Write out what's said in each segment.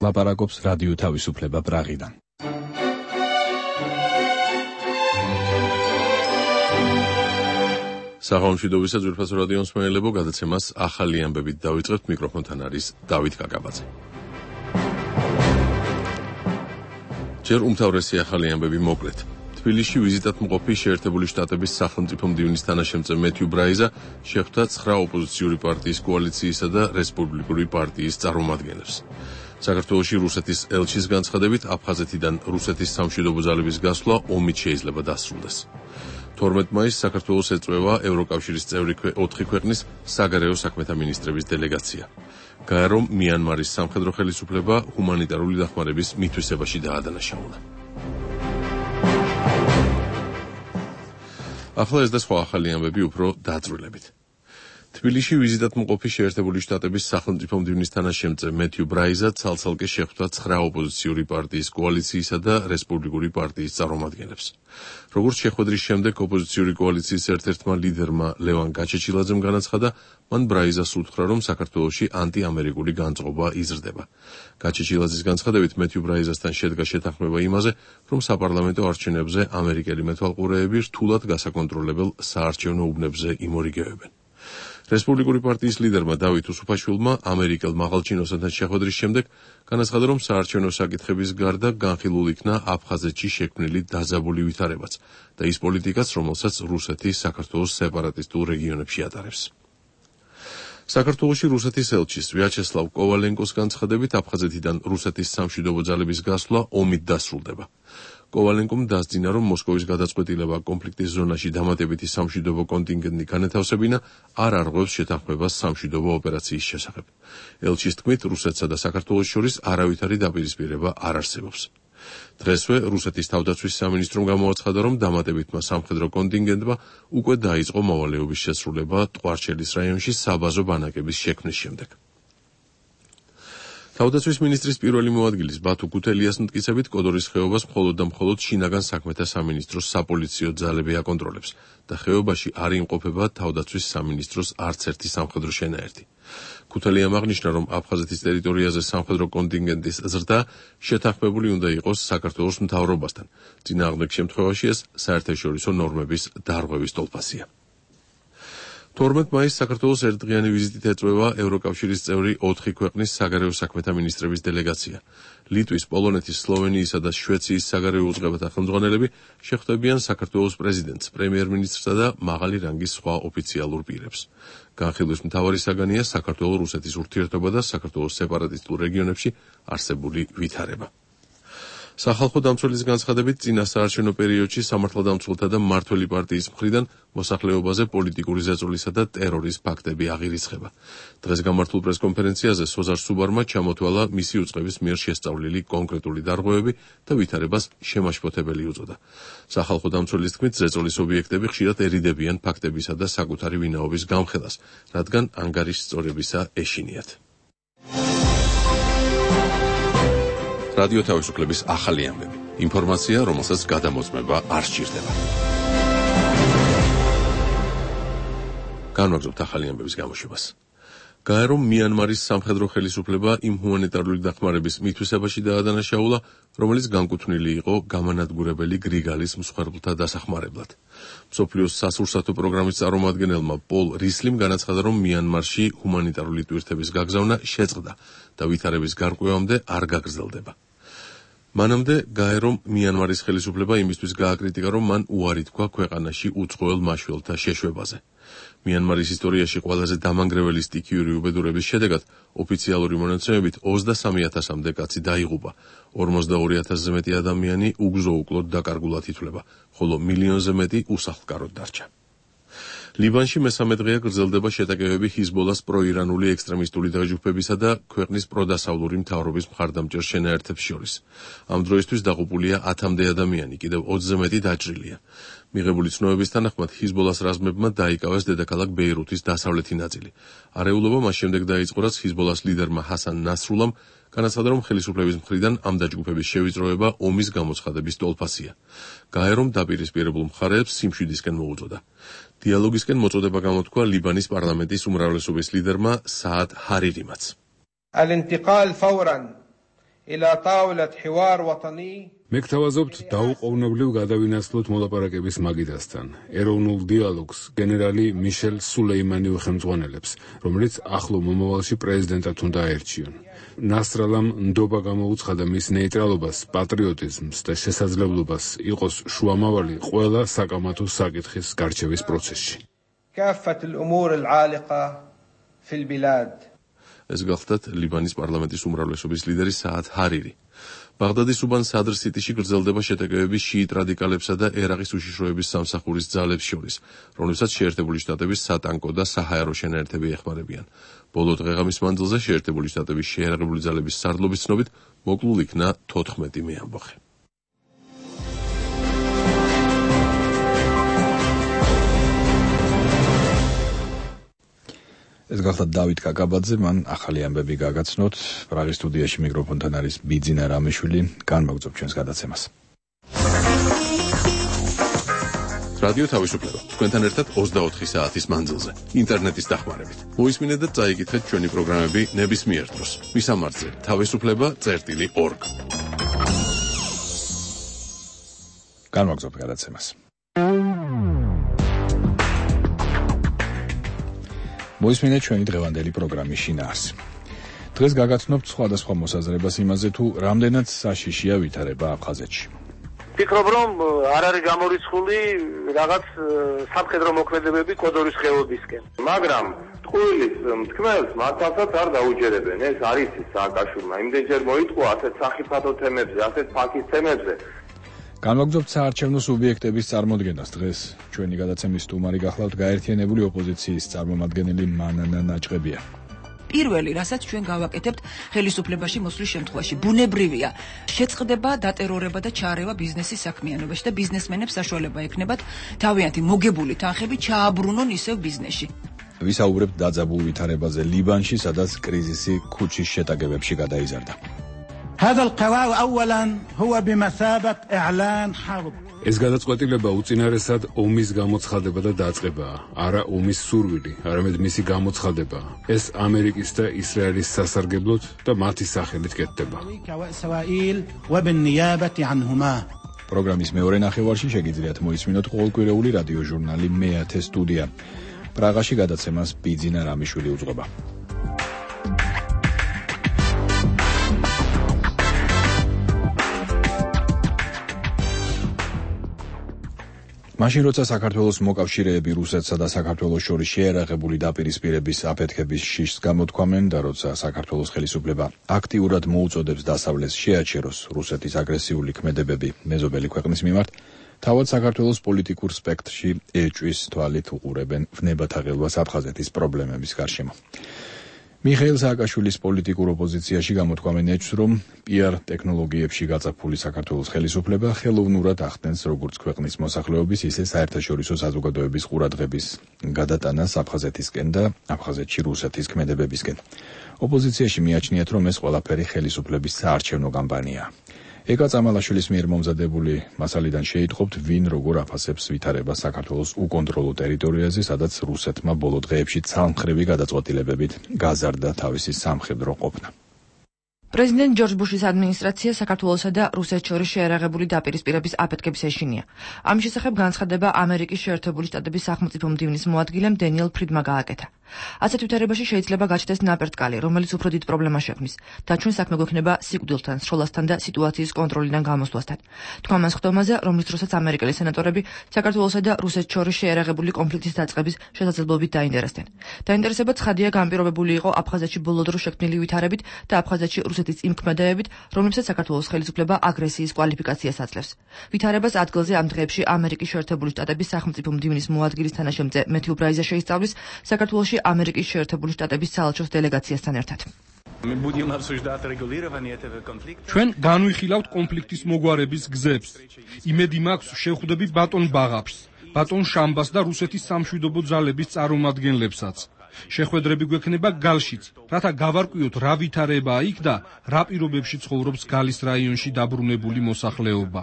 ლაპარაკობს რადიო თავისუფლება პრაღიდან. საღამომშვიდობისა ძვირფასო რადიო მსმენელებო, გადაცემას ახალი ამბებით დავიწყებთ. მიკროფონთან არის დავით კაკაბაძე. ჯერ უმთავრესი ახალი ამბები მოკლედ. თბილისში ვიზიტად მყოფი შეერთებული შტატების სახელმწიფო მდივნის თანაშემწე მეთიუ ბრაიზა შეხვდა 9 ოპოზიციური პარტიის კოალიციისა და რესპუბლიკური პარტიის წარმომადგენლებს. საქართველოში რუსეთის ელჩის განცხადებით, აფხაზეთიდან რუსეთის სამშვიდობო ძალების გასვლა ომით შეიძლება დასრულდეს. 12 მაისს საქართველოს ეწვევა ევროკავშირის წევრი 4 ქვეყნის საგარეო საქმეთა მინისტრების დელეგაცია. გაერომ მიანმარის სამხედრო ხელისუფლება ჰუმანიტარული დახმარების მითვისებაში დაადანაშაულა. ახლა ეს და სხვა ახალი ამბები უფრო დაწვრილებით. თბილისში ვიზიტად მყოფი შეერთებული შტატების სახელმწიფო მდივნის თანაშემწე მეთიუ ბრაიზა ცალ-ცალკე შეხვდა 9 ოპოზიციური პარტიის კოალიციისა და რესპუბლიკური პარტიის წარმომადგენლებს. როგორც შეხვედრის შემდეგ ოპოზიციური კოალიციის ერთ-ერთმა ლიდერმა ლევან გაჩეჩილაძემ განაცხადა, მან ბრაიზას უთხრა, რომ საქართველოში ანტიამერიკული განწყობა იზრდება. გაჩეჩილაძის განცხადებით, მეთიუ ბრაიზასთან შედგა შეთანხმება იმაზე, რომ საპარლამენტო არჩევნებზე ამერიკელი მეთვალყურეები რთულად გასაკონტროლებელ საარჩევნო უბნებზე იმორიგებებენ. რესპუბლიკური პარტიის ლიდერმა დავით უსუფაშვილმა ამერიკელ მაღალჩინოსთან შეხვედრის შემდეგ განაცხადა, რომ საარჩევნო საკითხების გარდა განხილულ იქნა აფხაზეთში შექმნილი დაძაბული ვითარებაც და ის პოლიტიკაც, რომელსაც რუსეთი საქართველოს სეპარატისტულ რეგიონებში ატარებს. საქართველოში რუსეთის ელჩის ვიაჩესლავ კოვალენკოს განცხადებით, აფხაზეთიდან რუსეთის სამშვიდობო ძალების გასვლა ომით დასრულდება. კოვალენკომ დასძინა, რომ მოსკოვის გადაწყვეტილება კონფლიქტის ზონაში დამატებითი სამშვიდობო კონტინგენტი განეთავსებინა არ არღვევს შეთანხმებას სამშვიდობო ოპერაციის შესახებ. ელჩის თქმით, რუსეთსა და საქართველოს შორის არავითარი დაპირისპირება არ არსებობს. დღესვე რუსეთის თავდაცვის სამინისტრომ გამოაცხადა, რომ დამატებითმა სამხედრო კონტინგენტმა უკვე დაიწყო მოვალეობის შესრულება ტყვარჩელის რაიონში საბაზო ბანაკების შექმნის შემდეგ. თავდაცვის მინისტრის პირველი მოადგილის ბათუ გუთელიას მტკიცებით, კოდორის ხეობას მხოლოდ და მხოლოდ შინაგან საქმეთა სამინისტროს საპოლიციო ძალები აკონტროლებს და ხეობაში არ იმყოფება თავდაცვის სამინისტროს არც ერთი სამხედრო შენაერთი. გუთელიამ აღნიშნა, რომ აფხაზეთის ტერიტორიაზე სამხედრო კონტინგენტის ზრდა შეთანხმებული უნდა იყოს საქართველოს მთავრობასთან. წინააღმდეგ შემთხვევაში ეს საერთაშორისო ნორმების დარღვევის ტოლფასია. 12 მაისს საქართველოს ერთდღიანი ვიზიტით ეწვევა ევროკავშირის წევრი 4 ქვეყნის საგარეო საქმეთა მინისტრების დელეგაცია. ლიტვის, პოლონეთის, სლოვენიისა და შვეიცარიის საგარეო უწყებათა ხელმძღვანელები შეხვდებიან საქართველოს პრეზიდენტს, პრემიერ-მინისტრსა და მაღალი რანგის სხვა ოფიციალურ პირებს. განხილვის მთავარი საგანია საქართველოს-რუსეთის ურთიერთობა და საქართველოს სეპარატისტულ რეგიონებში არსებული ვითარება. სახალხო დამცველის განცხადებით, წინა საარჩევნო პერიოდში სამართალდამცველთა და მმართველი პარტიის მხრიდან მოსახლეობაზე პოლიტიკური ზეწოლისა და ტერორის ფაქტები აღირიცხება. დღეს გამართულ პრესკონფერენციაზე სოზარ სუბარმა ჩამოთვალა მისი უწყების მიერ შესწავლილი კონკრეტული დარღვევები და ვითარებას შემაშფოთებელი უწოდა. სახალხო დამცველის თქმით, ზეწოლის ობიექტები ხშირად ერიდებიან ფაქტებისა და საკუთარი ვინაობის გამხელას, რადგან ანგარიშსწორებისა ეშინიათ. რადიო თავისუფლების ახალი ამბები. ინფორმაცია, რომელსაც გადამოწმება არ სჭირდება. განვაგრძობთ ახალი ამბების გამოშვებას. გაერომ მიანმარის სამხედრო ხელისუფლება იმ ჰუმანიტარული დახმარების მითვისებაში დაადანაშაულა, რომელიც განკუთვნილი იყო გამანადგურებელი გრიგალის მსხვერპლთა დასახმარებლად. მსოფლიოს სასურსათო პროგრამის წარმომადგენელმა პოლ რისლიმ განაცხადა, რომ მიანმარში ჰუმანიტარული ტვირთების გაგზავნა შეწყდა და ვითარების გარკვევამდე არ გაგრძელდება. მანამდე გაერომ მიანმარის ხელისუფლება იმისთვის გააკრიტიკა, რომ მან უარი თქვა ქვეყანაში უცხოელ მაშველთა შეშვებაზე. მიანმარის ისტორიაში ყველაზე დამანგრეველი სტიქიური უბედურების შედეგად ოფიციალური მონაცემებით 23,000-მდე კაცი დაიღუპა, 42,000-ზე მეტი ადამიანი უგზო-უკლოდ დაკარგულად ითვლება, ხოლო მილიონზე მეტი უსახლკაროდ დარჩა. ლიბანში მესამე დღეა გრძელდება შეტაკებები ჰიზბოლას პროირანული ექსტრემისტული დაჯგუფებისა და ქვეყნის პროდასავლური მთავრობის მხარდამჭერ შენაერთებს შორის. ამ დროისთვის დაღუპულია 10-მდე ადამიანი, კიდევ 20-ზე მეტი დაჭრილია. მიღებული ცნობების თანახმად ჰიზბოლას რაზმებმა დაიკავეს დედაქალაქ ბეირუთის დასავლეთი ნაწილი. არეულობა მას შემდეგ დაიწყო, რაც ჰიზბოლას ლიდერმა ჰასან ნასრულამ განაცხადა, რომ ხელისუფლების მხრიდან ამ დაჯგუფების შევიწროება ომის გამოცხადების ტოლფასია. გაერომ დაპირისპირებულ მხარეებს სიმშვიდისკენ მოუწოდა. დიალოგისკენ მოწოდება გამოთქვა ლიბანის პარლამენტის უმრავლესობის ლიდერმა საად ჰარირიმაც. الانتقال فورا إلى طاولة حوار وطني. მე გთავაზობთ დაუყოვნებლივ გადავინაცვლოთ მოლაპარაკების მაგიდასთან. ეროვნულ დიალოგს გენერალი მიშელ სულეიმანი უხელმძღვანელებს, რომელიც ახლო მომავალში პრეზიდენტად უნდა აერჩიონ. ნასრალამ ნდობა გამოუცხადა მის ნეიტრალობას, პატრიოტიზმს და შესაძლებლობას იყოს შუამავალი ყველა საკამათო საკითხის გარჩევის პროცესში. كافة الأمور العالقة في البلاد. ეს გახლდათ ლიბანის პარლამენტის უმრავლესობის ლიდერი საად ჰარირი. ბაღდადის უბან სადრ სიტიში გრძელდება შეტაკებები შიიტ რადიკალებსა და ერაყის უშიშროების სამსახურის ძალებს შორის, რომლებსაც შეერთებული შტატების სატანკო და საჰაერო შენაერთები ეხმარებიან. ბოლო დღეღამის მანძილზე შეერთებული შტატების შეიარაღებული ძალების სარდლობის ცნობით მოკლულ იქნა 14 მეამბოხე. ეს გახლდათ დავით კაკაბაძე, მან ახალი ამბები გაგაცნოთ. პრაღის სტუდიაში მიკროფონთან არის ბიძინა რამიშვილი. განმაგრძობ ჩვენს გადაცემას. რადიო თავისუფლება. თქვენთან ერთად 24 საათის მანძილზე, ინტერნეტის დახმარებით. მოისმინეთ და წაიკითხეთ ჩვენი პროგრამები ნებისმიერ დროს. მისამართზე თავისუფლება.org. განმაგრძობ გადაცემას. მოისმინეთ ჩვენი დღევანდელი პროგრამის შინაარსი. დღეს გაგაცნობთ სხვადასხვა მოსაზრებას იმაზე, თუ რამდენად საშიშია ვითარება აფხაზეთში. ვფიქრობ, რომ არ არის გამორიცხული რაღაც სამხედრო მოქმედებები კოდორის ხეობისკენ. მაგრამ ტყუილის მთქმელს მართალსაც არ დაუჯერებენ. ეს არის სააკაშვილმა. იმდენჯერ მოიტყვა ასეთ სახიფათო თემებზე, ასეთ ფაქის თემებზე. განმაგრძობთ საარჩევნო სუბიექტების წარმოდგენას. დღეს ჩვენი გადაცემის სტუმარი გახლავთ გაერთიანებული ოპოზიციის წარმომადგენელი მანანა ნაჭყებია. პირველი, რასაც ჩვენ გავაკეთებთ ხელისუფლებაში მოსვლის შემთხვევაში, ბუნებრივია შეწყდება დატერორება და ჩარევა ბიზნესის საქმიანობაში და ბიზნესმენებს საშუალება ექნებათ თავიანთი მოგებული თანხები ჩააბრუნონ ისევ ბიზნესში. ვისაუბრებთ დაძაბულ ვითარებაზე ლიბანში, სადაც კრიზისი ქუჩის შეტაკებებში გადაიზარდა. هذا القرار أولا هو بمثابة إعلان حرب. ეს გადაწყვეტილება უწინარესად ომის გამოცხადება და დაწყებაა, არა ომის სურვილი, არამედ მისი გამოცხადებაა. ეს ამერიკის და ისრაელის სასარგებლოდ და მათი სახელით კეთდება. وإسرائيل وبالنيابة عنهما. პროგრამის მეორე ნახევარში შეგიძლიათ მოისმინოთ ყოველკვირეული რადიო ჟურნალი მეათე სტუდია. პრაღაში გადაცემას ბიძინა რამიშვილი უძღვება. მაშინ როცა საქართველოს მოკავშირეები რუსეთსა და საქართველოს შორის შეერაღებული დაპირისპირების აფეთქების შიშს გამოთქვამენ და როცა საქართველოს ხელისუფლება აქტიურად მოუწოდებს დასავლეთს შეაჩეროს რუსეთის აგრესიული ქმედებები მეზობელი ქვეყნის მიმართ, თავად საქართველოს პოლიტიკურ სპექტრში ეჭვის თვალით უყურებენ ვნებათაღელვას აფხაზეთის პრობლემების გარშემო. მიხეილ სააკაშვილის პოლიტიკურ ოპოზიციაში გამოთქვამენ ეჭვს, რომ PR ტექნოლოგიებში გაწაფული საქართველოს ხელისუფლება ხელოვნურად ახდენს როგორც ქვეყნის მოსახლეობის, ისე საერთაშორისო საზოგადოების ყურადღების გადატანას აფხაზეთისკენ და აფხაზეთში რუსეთის ქმედებებისკენ. ოპოზიციაში მიაჩნიათ, რომ ეს ყველაფერი ხელისუფლების საარჩევნო კამპანიაა. ეკა წამალაშვილის მიერ მომზადებული მასალიდან შეიტყობთ, ვინ როგორ აფასებს ვითარებას საქართველოს უკონტროლო ტერიტორიაზე, სადაც რუსეთმა ბოლო დღეებში ცალმხრივი გადაწყვეტილებებით გაზარდა თავისი სამხედრო ყოფნა. პრეზიდენტ ჯორჯ ბუშის ადმინისტრაცია საქართველოსა და რუსეთს შორის შეერაღებული დაპირისპირების აფეთქების ეშინია. ამის შესახებ განცხადება ამერიკის შეერთებული შტატების სახელმწიფო მდივნის მოადგილემ დენიელ ფრიდმა გააკეთა. ასეთ ვითარებაში შეიძლება გაჩნდეს ნაპერტკალი, რომელიც უფრო დიდ პრობლემას შექმნის და ჩვენ საქმე გვექნება სიკვდილთან, სროლასთან და სიტუაციის კონტროლიდან გამოსვლასთან. თქვა მას ხდომაზე, რომლის დროსაც ამერიკელი სენატორები საქართველოსა და რუსეთს შორის შეერაღებული კონფლიქტის დაწყების შესაძლებლობით დაინტერესდნენ. დაინტერესება ცხადია განპირობებული იყო აფხაზეთში ბოლო დროს შექმნილი ვითარებით და აფხაზეთში რუსეთის იმ ქმედებებით, რომლებსაც საქართველოს ხელისუფლება აგრესიის კვალიფიკაციას აძლევს. ვითარებას ადგილზე ამ დღეებში ამერიკის შეერთებული შტატების სახელმწიფო მდივნის მოადგილის თანაშემწე მეთიუ ბრაიზა შეისწავლის საქართველოში ამერიკის შეერთებული შტატების საელჩოს დელეგაციასთან ერთად. ჩვენ განვიხილავთ კონფლიქტის მოგვარების გზებს. იმედი მაქვს შევხვდები ბატონ ბაღაფს, ბატონ შამბას და რუსეთის სამშვიდობო ძალების წარმომადგენლებსაც. შეხვედრები გვექნება გალშიც, რათა გავარკვიოთ რა ვითარებაა იქ და რა პირობებში ცხოვრობს გალის რაიონში დაბრუნებული მოსახლეობა.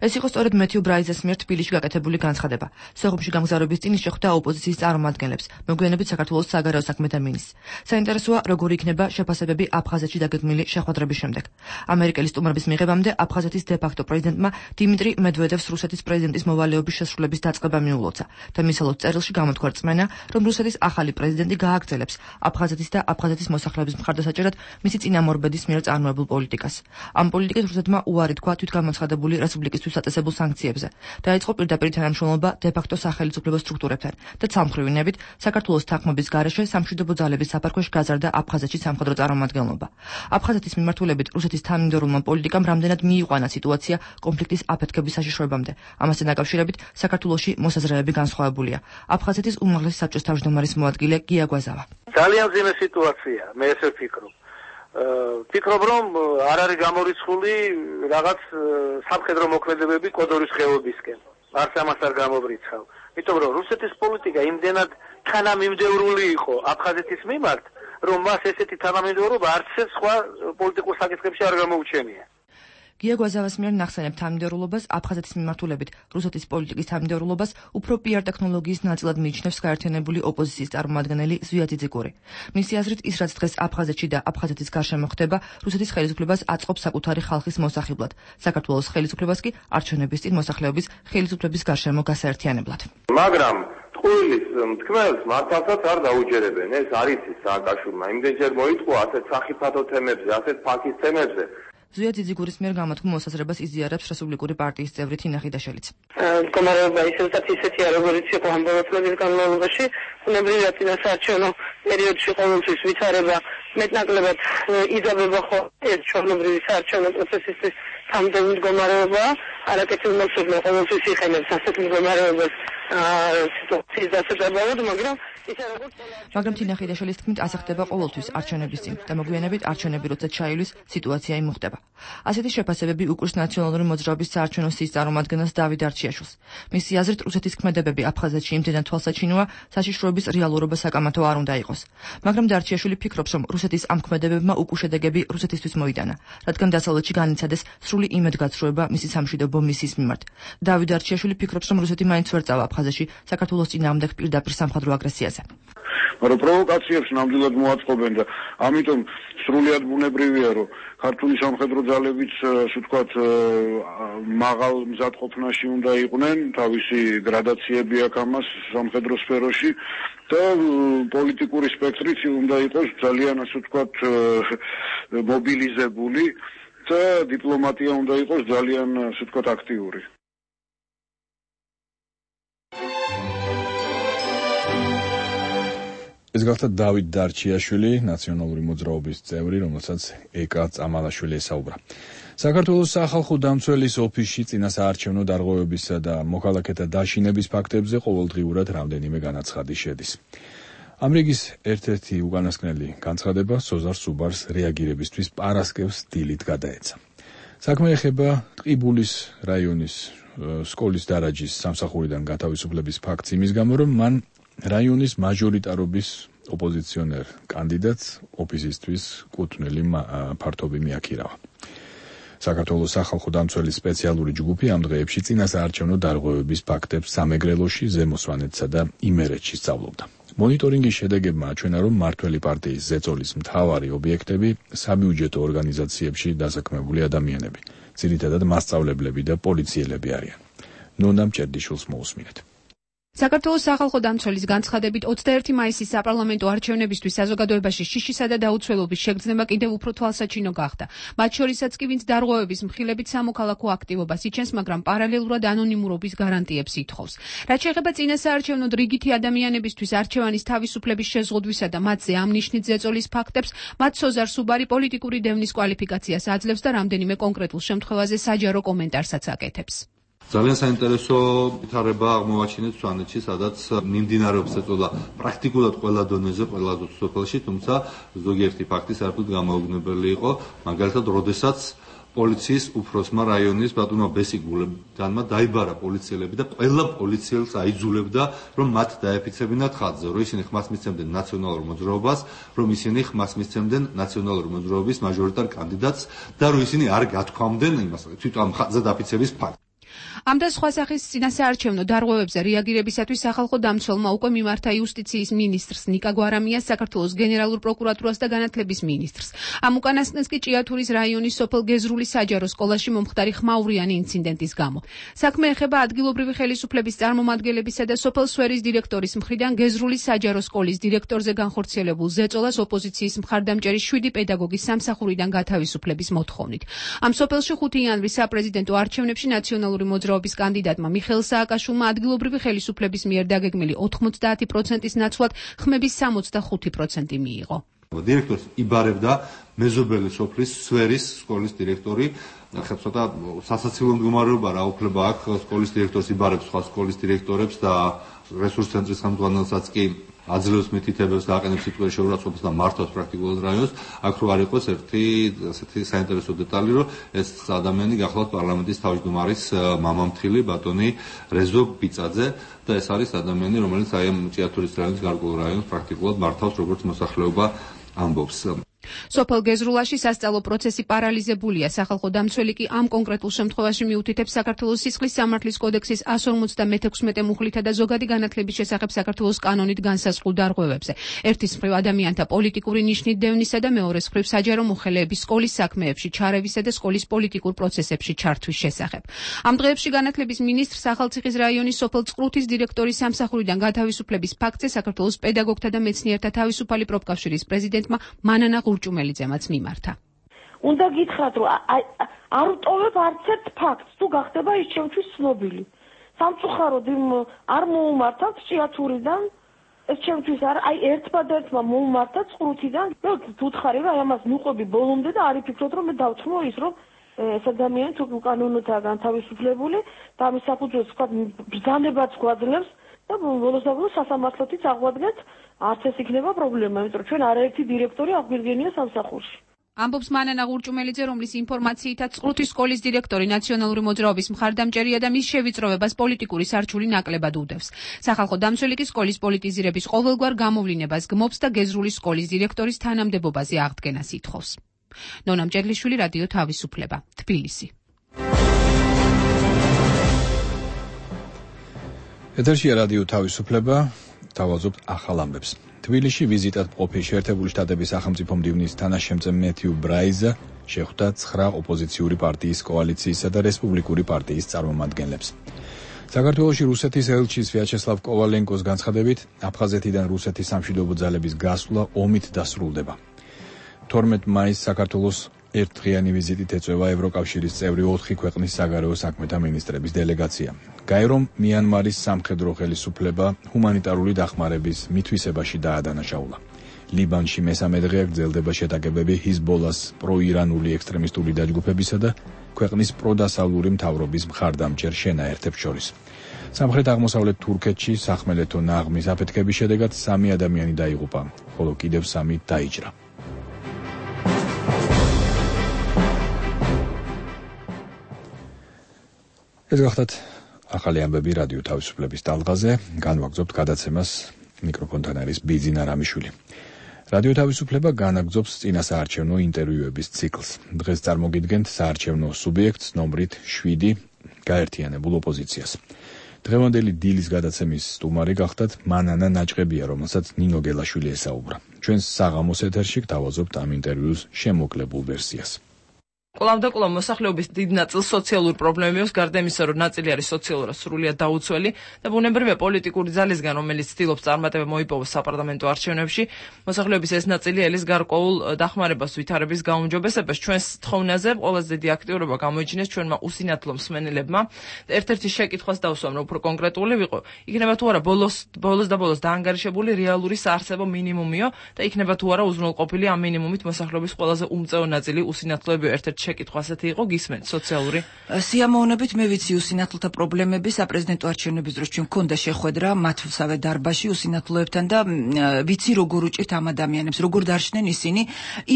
ეს იყო სწორედ მეთიუ ბრაიზის მიერ თბილისში გაკეთებული განცხადება. სოხუმში გამგზავრების წინ შეხვდა ოპოზიციის წარმომადგენლებს, მოგვიანებით საქართველოს საგარეო საქმეთა მინისტრს. საინტერესოა, როგორი იქნება შეფასებები აფხაზეთში დაგეგმილი შეხვედრების შემდეგ. ამერიკელი სტუმრების მიღებამდე აფხაზეთის დე-ფაქტო პრეზიდენტმა დიმიტრი მედვედევს რუსეთის პრეზიდენტის მოვალეობის შესრულების დაწყება მიულოცა და მისალოდ წერილში გამოთქვა რწმენა, რომ რუსეთის ახალი პრეზიდენტი გააგრძელებს აფხაზეთის და აფხაზეთის მოსახლეობის მხარდასაჭერად მისი წინამორბედის მიერ წარმოებულ პოლიტიკას. ამ პოლიტიკით რუსეთმა უარი თქვა თვითგამოცხადებული რესპუბლიკისთვის აწესებულ სანქციებზე. დაიწყო პირდაპირ თანამშრომლობა დე-ფაქტო სახელმწიფო სტრუქტურებთან და ცალმხრივინებით საქართველოს თანხმობის გარეშე სამშვიდობო ძალების საფარქვეშ გაზარდა აფხაზეთში სამხედრო წარმომადგენლობა. აფხაზეთის მიმართულებით რუსეთის თანმიმდევრულმა პოლიტიკამ რამდენად მიიყვანა სიტუაცია კონფლიქტის აფეთქების საშიშროებამდე. ამასთან დაკავშირებით საქართველოში მოსაზრებები განსხვავებულია. აფხაზეთის უმაღლესი საბჭოს თავმჯდომარის მოადგილე გია გვაზავა. ძალიან ძიმე სიტუაცია, მე ესე ვფიქრობ. ვფიქრობ, რომ არ არის გამორიცხული რაღაც სამხედრო მოქმედებები კოდორის ხეობისკენ. არც ამას არ გამოვრიცხავ. იმიტომ რომ რუსეთის პოლიტიკა იმდენად თანამიმდევრული იყო აფხაზეთის მიმართ, რომ მას ესეთი თანამიმდევრობა არც სხვა პოლიტიკურ საკითხებში არ გამოუჩენია. გია გვაზავას მიერ ნახსენებ თანმიმდევრულობას აფხაზეთის მიმართულებით რუსეთის პოლიტიკის თანმიმდევრულობას უფრო პიარ ტექნოლოგიის ნაწილად მიიჩნევს გაერთიანებული ოპოზიციის წარმომადგენელი ზვია ძიძიგური. მისი აზრით, ის რაც დღეს აფხაზეთში და აფხაზეთის გარშემო ხდება, რუსეთის ხელისუფლებას აწყობს საკუთარი ხალხის მოსახლებლად. საქართველოს ხელისუფლებას კი არჩევნების წინ მოსახლეობის ხელისუფლების გარშემო გასაერთიანებლად. მაგრამ ტყუილის თქმელს მართალსაც არ დაუჯერებენ. ეს არის სააკაშვილმა იმდენჯერ მოითხოვა ასეთ სახიფათო თემებზე, ასეთ ფაქის თემებზე. ზვია ძიძიგურის მიერ გამოთქმულ მოსაზრებას იზიარებს რესპუბლიკური პარტიის წევრი თინა ხიდაშელიც. მდგომარეობა ისევ ისეთია, როგორც იყო ამ ბოლო განმავლობაში, ბუნებრივია წინასაარჩევნო პერიოდში ყოველთვის ვითარება მეტნაკლებად იძაბება ხო ეს ჩვეულებრივი საარჩევნო პროცესის სამდევრი მდგომარეობა, არაკეთილ მოსურნო ყოველთვის იხენებს ასეთ მდგომარეობას სიტუაციის დასაწყებად, მაგრამ თინა ხიდაშელის თქმით ასე ხდება ყოველთვის არჩევნების წინ და მოგვიანებით არჩევნები როცა ჩაივლის, სიტუაცია იმუხტება. ასეთი შეფასებები უკრის ნაციონალური მოძრაობის საარჩევნო სიის წარმომადგენელს დავით არჩიაშვილს. მისი აზრით, რუსეთის ქმედებები აფხაზეთში იმდენად თვალსაჩინოა, საშიშროების რეალურობა საკამათო არ უნდა იყოს. მაგრამ არჩიაშვილი ფიქრობს, რომ რუსეთის ამ ქმედებებმა უკუშედეგები რუსეთისთვის მოიტანა, რადგან დასავლეთში განიცადეს სრული იმედგაცრუება მისი სამშვიდობო მისიის მიმართ. დავით არჩიაშვილი ფიქრობს, რომ რუსეთი მაინც ვერ წავა აფხაზეთში საქართველოს წინააღმდეგ პირდაპირ სამხედრო აგრესიაზე. მაგრამ პროვოკაციებს ნამდვილად მოაწყობენ და ამიტომ სრულიად ბუნებრივია, რომ ქართული სამხედრო ძალებიც, ასე ვთქვათ, მაღალ მზადყოფნაში უნდა იყვნენ, თავისი გრადაციები აქვს ამას სამხედრო სფეროში და პოლიტიკური სპექტრიც უნდა იყოს ძალიან, ასე ვთქვათ, მობილიზებული და დიპლომატია უნდა იყოს ძალიან, ასე ვთქვათ, აქტიური. ეს გახდა დავით დარჩიაშვილი, ნაციონალური მოძრაობის წევრი, რომელსაც ეკა წამალაშვილი ესაუბრა. საქართველოს სახალხო დამცველის ოფისში წინასაარჩევნო დარღვევებისა და მოქალაქეთა დაშინების ფაქტებზე ყოველდღიურად რამდენიმე განაცხადი შედის. ამ რიგის ერთ-ერთი უკანასკნელი განცხადება სოზარ სუბარს რეაგირებისთვის პარასკევს დილით გადაეცა. საქმე ეხება ტყიბულის რაიონის სკოლის დარაჯის სამსახურიდან გათავისუფლების ფაქტს იმის გამო, რომ მან რაიონის მაჟორიტარობის ოპოზიციონერ კანდიდატს ოფისისთვის კუთვნილი ფართობი მიაქირავა. საქართველოს სახალხო დამცველის სპეციალური ჯგუფი ამ დღეებში წინასაარჩევნო დარღვევების ფაქტებს სამეგრელოში, ზემო სვანეთსა და იმერეთში სწავლობდა. მონიტორინგის შედეგებმა აჩვენა, რომ მართველი პარტიის ზეწოლის მთავარი ობიექტები საბიუჯეტო ორგანიზაციებში დასაქმებული ადამიანები, ძირითადად მასწავლებლები და პოლიციელები არიან. ნონა მჭერდიშვილს მოусმინეთ. საქართველოს სახალხო დამცველის განცხადებით 21 მაისის საპარლამენტო არჩევნებისთვის საზოგადოებაში შიშისა და დაუცველობის შეგრძნება კიდევ უფრო თვალსაჩინო გახდა. მათ შორისაც კი ვინც დარღვევების მხილებით სამოქალაქო აქტივობას იჩენს, მაგრამ პარალელურად ანონიმურობის გარანტიებს ითხოვს. რაც შეეხება წინასაარჩევნო რიგითი ადამიანებისთვის არჩევანის თავისუფლების შეზღუდვისა და მათზე ამ ნიშნით ზეწოლის ფაქტებს, მათ სოზარ სუბარი პოლიტიკური დევნის კვალიფიკაციას აძლევს და რამდენიმე კონკრეტულ შემთხვევაზე საჯარო კომენტარსაც აკეთებს. ძალიან საინტერესო ვითარება აღმოვაჩინეთ სვანეთში, სადაც მიმდინარეობს ეწოლა პრაქტიკულად ყველა დონეზე, ყველა სოფელში, თუმცა ზოგიერთი ფაქტი საერთოდ გამოუგნებელი იყო, მაგალითად, როდესაც პოლიციის უფროსმა რაიონის ბატონმა ბესიგულებდანმა დაიბარა პოლიციელები და ყველა პოლიციელს აიძულებდა, რომ მათ დაეფიცებინათ ხაზზე, რომ ისინი ხმას მისცემდნენ ნაციონალურ მოძრაობას, რომ ისინი ხმას მისცემდნენ ნაციონალური მოძრაობის მაჟორიტარ კანდიდატს და რომ ისინი არ გათქვამდნენ იმას, თვითონ ხაზზე დაფიცების ფაქტს. ამ და სხვა სახის წინასაარჩევნო დარღვევებზე რეაგირებისათვის სახალხო დამცველმა უკვე მიმართა იუსტიციის მინისტრს ნიკა გვარამიას, საქართველოს გენერალურ პროკურატურას და განათლების მინისტრს. ამ უკანასკნელს კი ჭიათურის რაიონის სოფელ გეზრული საჯარო სკოლაში მომხდარი ხმაურიანი ინციდენტის გამო. საქმე ეხება ადგილობრივი ხელისუფლების წარმომადგენლებისა და სოფელ სვერის დირექტორის მხრიდან გეზრული საჯარო სკოლის დირექტორზე განხორციელებულ ზეწოლას ოპოზიციის მხარდამჭერი 7 პედაგოგის სამსახურიდან გათავისუფლების მოთხოვნით. ამ სოფელში 5 იანვრის საპრეზიდენტო არჩევნებში ნაციონალური მოძრაობის კანდიდატმა მიხეილ სააკაშვილმა ადგილობრივი ხელისუფლების მიერ დაგეგმილი 90%-ის ნაცვლად ხმების 65% მიიღო. დირექტორს იბარებდა მეზობელი სოფლის სვერის სკოლის დირექტორი. ახლა ცოტა სასაცილო მდგომარეობა რა უფლება აქვს სკოლის დირექტორს იბარებს სხვა სკოლის დირექტორებს და რესურს ცენტრის ხელმძღვანელსაც კი აძლევს მითითებებს და აყენებს სიტყვიერ შეურაცხყოფას და მართავს პრაქტიკულად რაიონს. აქ რო არ იყოს ერთი ასეთი საინტერესო დეტალი, რომ ეს ადამიანი გახლავთ პარლამენტის თავმჯდომარის მამამთილი ბატონი რეზო ბიწაძე და ეს არის ადამიანი, რომელიც აი ამ ჭიათურის რაიონის გარკვეულ რაიონს პრაქტიკულად მართავს, როგორც მოსახლეობა ამბობს. სოფელ გეზრულაში სასწავლო პროცესი პარალიზებულია. სახალხო დამცველი კი ამ კონკრეტულ შემთხვევაში მიუთითებს საქართველოს სისხლის სამართლის კოდექსის 156 მუხლითა და ზოგადი განათლების შესახებ საქართველოს კანონით განსაზღვრულ დარღვევებზე. ერთის მხრივ ადამიანთა პოლიტიკური ნიშნით დევნისა და მეორეს მხრივ საჯარო მოხელეების სკოლის საქმეებში ჩარევისა და სკოლის პოლიტიკურ პროცესებში ჩართვის შესახებ. ამ დღეებში განათლების მინისტრს ახალციხის რაიონის სოფელ წყრუთის დირექტორის სამსახურიდან გათავისუფლების ფაქტზე საქართველოს პედაგოგთა და მეცნიერთა თავისუფალი პროფკავშირის პრეზიდენტმა მანანა გურჭუმელიძემაც მიმართა. უნდა გითხრათ, რომ არ ვტოვებ არც ერთ ფაქტს, თუ გახდება ის ჩემთვის ცნობილი. სამწუხაროდ არ მოუმართავთ ჭიათურიდან, ეს ჩემთვის არ, ერთმა მოუმართა წყრუთიდან. ვუთხარი, რომ ამას მივყვები ბოლომდე და არ იფიქროთ, რომ მე დავთმო ის, რომ ეს ადამიანი თუ კანონითაა განთავისუფლებული და ამის საფუძველზე თქვა ბრძანებაც გვაძლევს და ბოლოს სასამართლოთიც აღვადგეთ, არც ეს იქნება პრობლემა, იმიტომ რომ ჩვენ არაერთი დირექტორი აღგვიდგენია სამსახურში. ამბობს მანანა გურჭუმელიძე, რომლის ინფორმაციითაც წყრუთის სკოლის დირექტორი ნაციონალური მოძრაობის მხარდამჭერია და მის შევიწროვებას პოლიტიკური სარჩული ნაკლებად უდევს. სახალხო დამცველი კი სკოლის პოლიტიზირების ყოველგვარ გამოვლინებას გმობს და გეზრული სკოლის დირექტორის თანამდებობაზე აღდგენას ითხოვს. ნონა მჭედლიშვილი, რადიო თავისუფლება, თბილისი. ეთერშია რადიო თავისუფლება, თავაზობთ ახალ ამბებს. თბილისში ვიზიტად მყოფი შეერთებული შტატების სახელმწიფო მდივნის თანაშემწე მეთიუ ბრაიზა შეხვდა 9 ოპოზიციური პარტიის კოალიციისა და რესპუბლიკური პარტიის წარმომადგენლებს. საქართველოში რუსეთის ელჩის ვიაჩესლავ კოვალენკოს განცხადებით, აფხაზეთიდან რუსეთის სამშვიდობო ძალების გასვლა ომით დასრულდება. 12 მაისს საქართველოს ერთდღიანი ვიზიტით ეწევა ევროკავშირის წევრი 4 ქვეყნის საგარეო საქმეთა მინისტრების დელეგაცია. გაერომ მიანმარის სამხედრო ხელისუფლება ჰუმანიტარული დახმარების მითვისებაში დაადანაშაულა. ლიბანში მესამე დღე გრძელდება შეტაკებები ჰიზბოლას პროირანული ექსტრემისტული დაჯგუფებისა და ქვეყნის პროდასავლური მთავრობის მხარდამჭერ შენაერთებს შორის. სამხრეთ-აღმოსავლეთ თურქეთში სახმელეთო ნაღმის აფეთქების შედეგად 3 ადამიანი დაიღუპა, ხოლო კიდევ 3 დაიჭრა. ეს გახდათ ახალი ამბები რადიო თავისუფლების ტალღაზე. განვაგრძობთ გადაცემას, მიკროფონთან არის ბიძინა რამიშვილი. რადიო თავისუფლება განაგრძობს წინასაარჩევნო ინტერვიუების ციკლს. დღეს წარმოგიდგენთ საარჩევნო სუბიექტს ნომრით 7 გაერთიანებულ ოპოზიციას. დღევანდელი დილის გადაცემის სტუმარი გახდათ მანანა ნაჭყებია, რომელსაც ნინო გელაშვილი ესაუბრა. ჩვენს საღამოს ეთერში გთავაზობთ ამ ინტერვიუს შემოკლებულ ვერსიას. კვლავ და კვლავ მოსახლეობის დიდ ნაწილს სოციალური პრობლემები აქვს, გარდა იმისა, რომ ნაწილი არის სოციალურად სრულიად დაუცველი და ბუნებრივია პოლიტიკური ძალისგან, რომელიც ცდილობს წარმატება მოიპოვოს საპარლამენტო არჩევნებში, მოსახლეობის ეს ნაწილი ელის გარკვეულ დახმარებას ვითარების გაუმჯობესებას. ჩვენს თხოვნაზე ყველაზე დიდი აქტიურობა გამოიჩინეს ჩვენმა უსინათლო მსმენელებმა. ერთ-ერთი შეკითხვას დავსვამ, რომ უფრო კონკრეტული ვიყო, იქნება თუ არა ბოლოს დაანგარიშებული რეალური საარსებო მინიმუმიო და იქნება თუ არა უზრუნველყოფილი ამ მინიმუმით მოსახლეობის ყველაზე უმწეო ნაწილი უსინათლოებიო. ერთ-ერთი შეკითხვა ასეთი იყო, გისმენთ სოციალური? სიამოვნებით მე ვიცი უსინათლოთა პრობლემები საპრეზიდენტო არჩევნების დროს ჩვენ მქონდა შეხვედრა მათსავე დარბაზში უსინათლოებთან და ვიცი როგორ უჭირთ ამ ადამიანებს, როგორ დარჩნენ ისინი